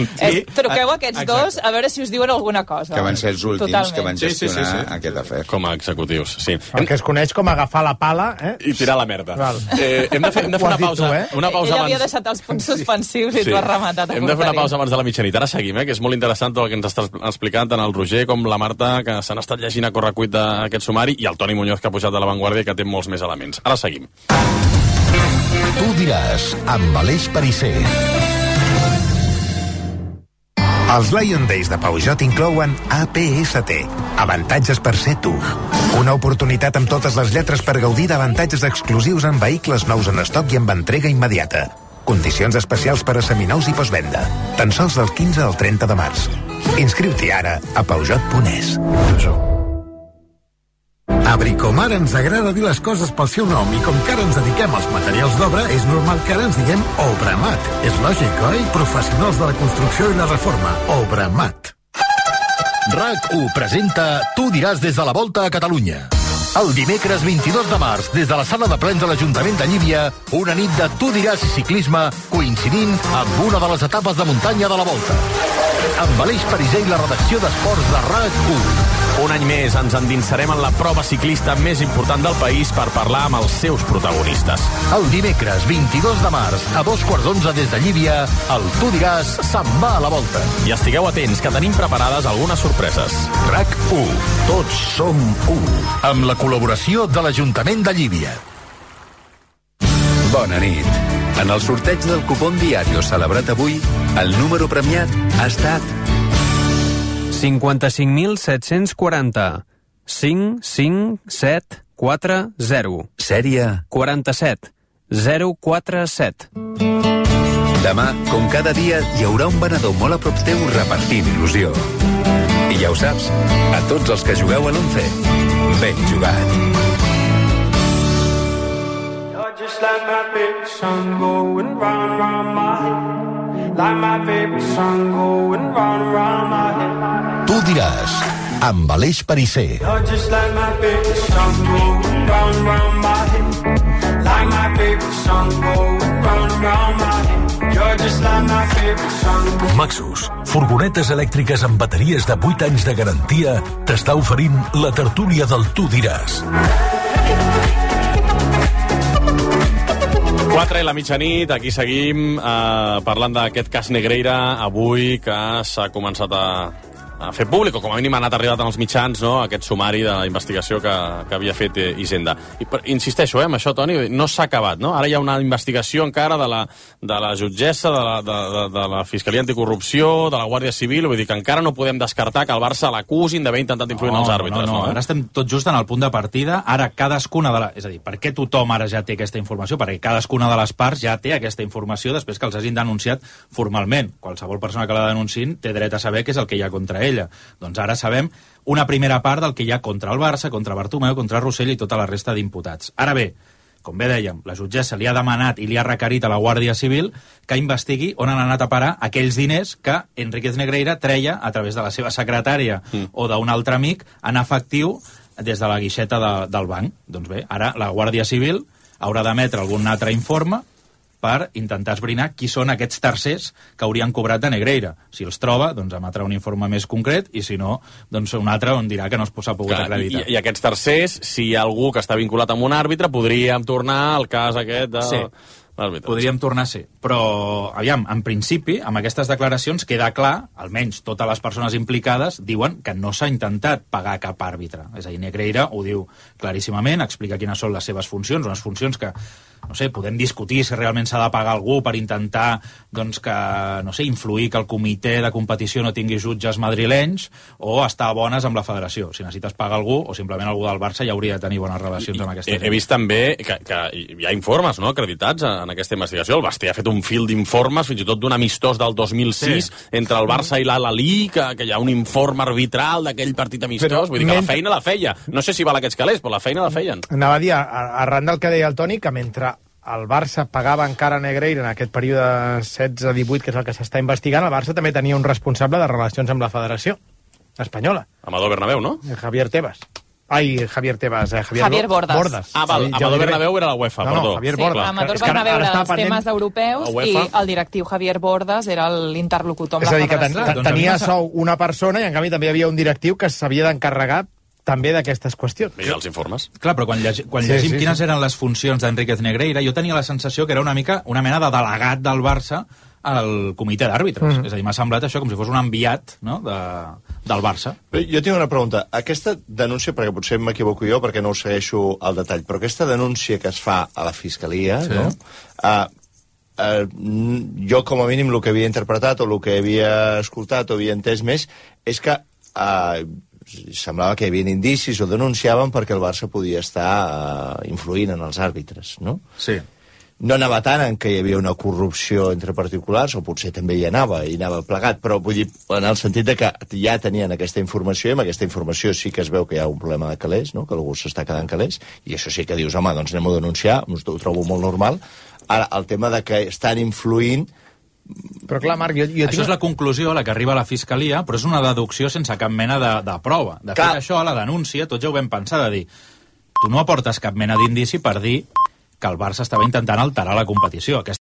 Truqueu a aquests dos a veure si us diuen alguna cosa. Que van ser els últims que van gestionar aquest afer. Com a executius, sí. El que es coneix com agafar la pala... I tirar la merda. Hem de fer una pausa. Ell havia deixat els punts suspensius i tu has rematat. Hem de fer una pausa abans de la mitjanit. Ara seguim, que és molt interessant tot el que ens està explicant tant el Roger com la Marta, que s'han estat llegint a correcuit d'aquest sumari, i el Toni Muñoz, que ha pujat de La Vanguardia, que té molts més elements. Ara seguim. Tu diràs, amb Aleix Perisser. Els Lion Days de Peugeot inclouen APST, avantatges per ser tu. Una oportunitat amb totes les lletres per gaudir d'avantatges exclusius en vehicles nous en estoc i amb entrega immediata. Condicions especials per a seminous i postvenda. Tan sols del 15 al 30 de març. Inscriu-t'hi ara a Peugeot.es. A Bricomar ens agrada dir les coses pel seu nom i com que ara ens dediquem als materials d'obra, és normal que ara ens diguem Obramat. És lògic, oi? Professionals de la construcció i la reforma. Obramat. RAC1 presenta Tu diràs des de la Volta a Catalunya. El dimecres 22 de març, des de la sala de plens de l'Ajuntament de Llívia, una nit de Tu diràs i ciclisme coincidint amb una de les etapes de muntanya de la Volta. Amb Aleix Perisser i la redacció d'Esports de RAC1. Un any més ens endinsarem en la prova ciclista més important del país per parlar amb els seus protagonistes. El dimecres 22 de març, a 11:15 des de Llívia, el Tu diràs se'n va a la Volta. I estigueu atents, que tenim preparades algunes sorpreses. RAC1. Tots som u. Amb la col·laboració de l'Ajuntament de Llívia. Bona nit. En el sorteig del cupón Diario celebrat avui, el número premiat ha estat 55.740 55740. Sèrie 47 047. Demà, com cada dia, hi haurà un venedor molt a prop teu repartint il·lusió. I ja ho saps, a tots els que jugueu a l'11, ben jugat. Just like my favorite song going round, round my head. Like my favorite song going round, round my head. Tu diràs, amb Aleix Perisser. You're just like my favorite song going round, round my head. Like my favorite song going round, round my head. You're just like my favorite song. Maxus, furgonetes elèctriques amb bateries de 8 anys de garantia, t'està oferint la tertúlia del Tu diràs. 4 i la mitjanit, aquí seguim parlant d'aquest cas Negreira avui que s'ha començat a fer públic, o com a mínim ha anat arribat als mitjans, no?, aquest sumari de la investigació que havia fet Hisenda. Insisteixo, amb això, Toni, no s'ha acabat, no? Ara hi ha una investigació encara de la jutgessa, de la Fiscalia Anticorrupció, de la Guàrdia Civil, vull dir que encara no podem descartar que el Barça l'acusin d'haver intentat influir en els àrbitres. No, ara estem tot just en el punt de partida. Ara cadascuna de les... És a dir, per què tothom ara ja té aquesta informació? Perquè cadascuna de les parts ja té aquesta informació després que els hagin denunciat formalment. Qualsevol persona que la denunciïn té dret a saber què és el que hi ha contra ella. Doncs ara sabem una primera part del que hi ha contra el Barça, contra Bartomeu, contra Rossell i tota la resta d'imputats. Ara bé, com bé dèiem, la jutgessa li ha demanat i li ha requerit a la Guàrdia Civil que investigui on han anat a parar aquells diners que Enríquez Negreira treia a través de la seva secretària o d'un altre amic en efectiu des de la guixeta del banc. Doncs bé, ara la Guàrdia Civil haurà d'emetre algun altre informe per intentar esbrinar qui són aquests tercers que haurien cobrat de Negreira. Si els troba, doncs emetrà un informe més concret, i si no, doncs un altre on dirà que no s'ha pogut acreditar. I aquests tercers, si hi ha algú que està vinculat amb un àrbitre, podríem tornar al cas aquest podríem tornar a ser. Però, aviam, en principi, amb aquestes declaracions queda clar, almenys totes les persones implicades diuen que no s'ha intentat pagar cap àrbitre. És a dir, Negreira ho diu claríssimament, explica quines són les seves funcions, unes funcions que, no sé, podem discutir si realment s'ha de pagar algú per intentar, doncs, que, no sé, influir que el comitè de competició no tingui jutges madrilenys o estar a bones amb la federació. Si necessites pagar algú, o simplement algú del Barça ja hauria de tenir bones relacions amb aquesta gent. He vist també que hi ha informes, no?, acreditats en aquesta investigació. El Basté ha fet un fil d'informes, fins i tot d'un amistós del 2006 entre el Barça i l'Al-Ahly, que hi ha un informe arbitral d'aquell partit amistós. Vull dir que la feina la feia. No sé si val aquests calés, però la feina la feien. Anava a dir, arran del que deia el Toni, que mentre el Barça pagava encara a Negreira en aquest període 16-18, que és el que s'està investigant, el Barça també tenia un responsable de relacions amb la federació espanyola. Amador Bernabéu, no? Javier Tebas. Javier Tebas, Javier Bordas. Ah, val, Amador Bernabéu era la UEFA, perdó. No, Javier Bordas. Amador Bernabéu era els temes europeus i el directiu Javier Bordas era l'interlocutor amb la federació. És a dir, que tenia sou una persona i en canvi també hi havia un directiu que s'havia d'encarregar també d'aquestes qüestions. Mira els informes. Clar, però quan llegim quines eren les funcions d'Enríquez Negreira, jo tenia la sensació que era una mena de delegat del Barça al comitè d'àrbitres. És a dir, m'ha semblat això com si fos un enviat, no?, del Barça. Jo tinc una pregunta. Aquesta denúncia, perquè potser m'equivoco jo, perquè no ho segueixo al detall, però aquesta denúncia que es fa a la Fiscalia, no?, jo com a mínim el que havia interpretat o el que havia escoltat o havia entès més és que semblava que hi havia indicis o denunciaven perquè el Barça podia estar influint en els àrbitres, no? Sí. No anava tant en que hi havia una corrupció entre particulars, o potser també hi anava plegat, però vull dir, en el sentit de que ja tenien aquesta informació, i amb aquesta informació sí que es veu que hi ha un problema de calés, no?, que algú s'està quedant calés, i això sí que dius, home, doncs anem a denunciar, ho trobo molt normal. Ara, el tema de que estan influint... Però clar, Marc, això és la conclusió a la que arriba la Fiscalia, però és una deducció sense cap mena de prova. De fet, això a la denúncia, tots ja ho vam pensar, de dir, tu no aportes cap mena d'indici per dir que el Barça estava intentant alterar la competició.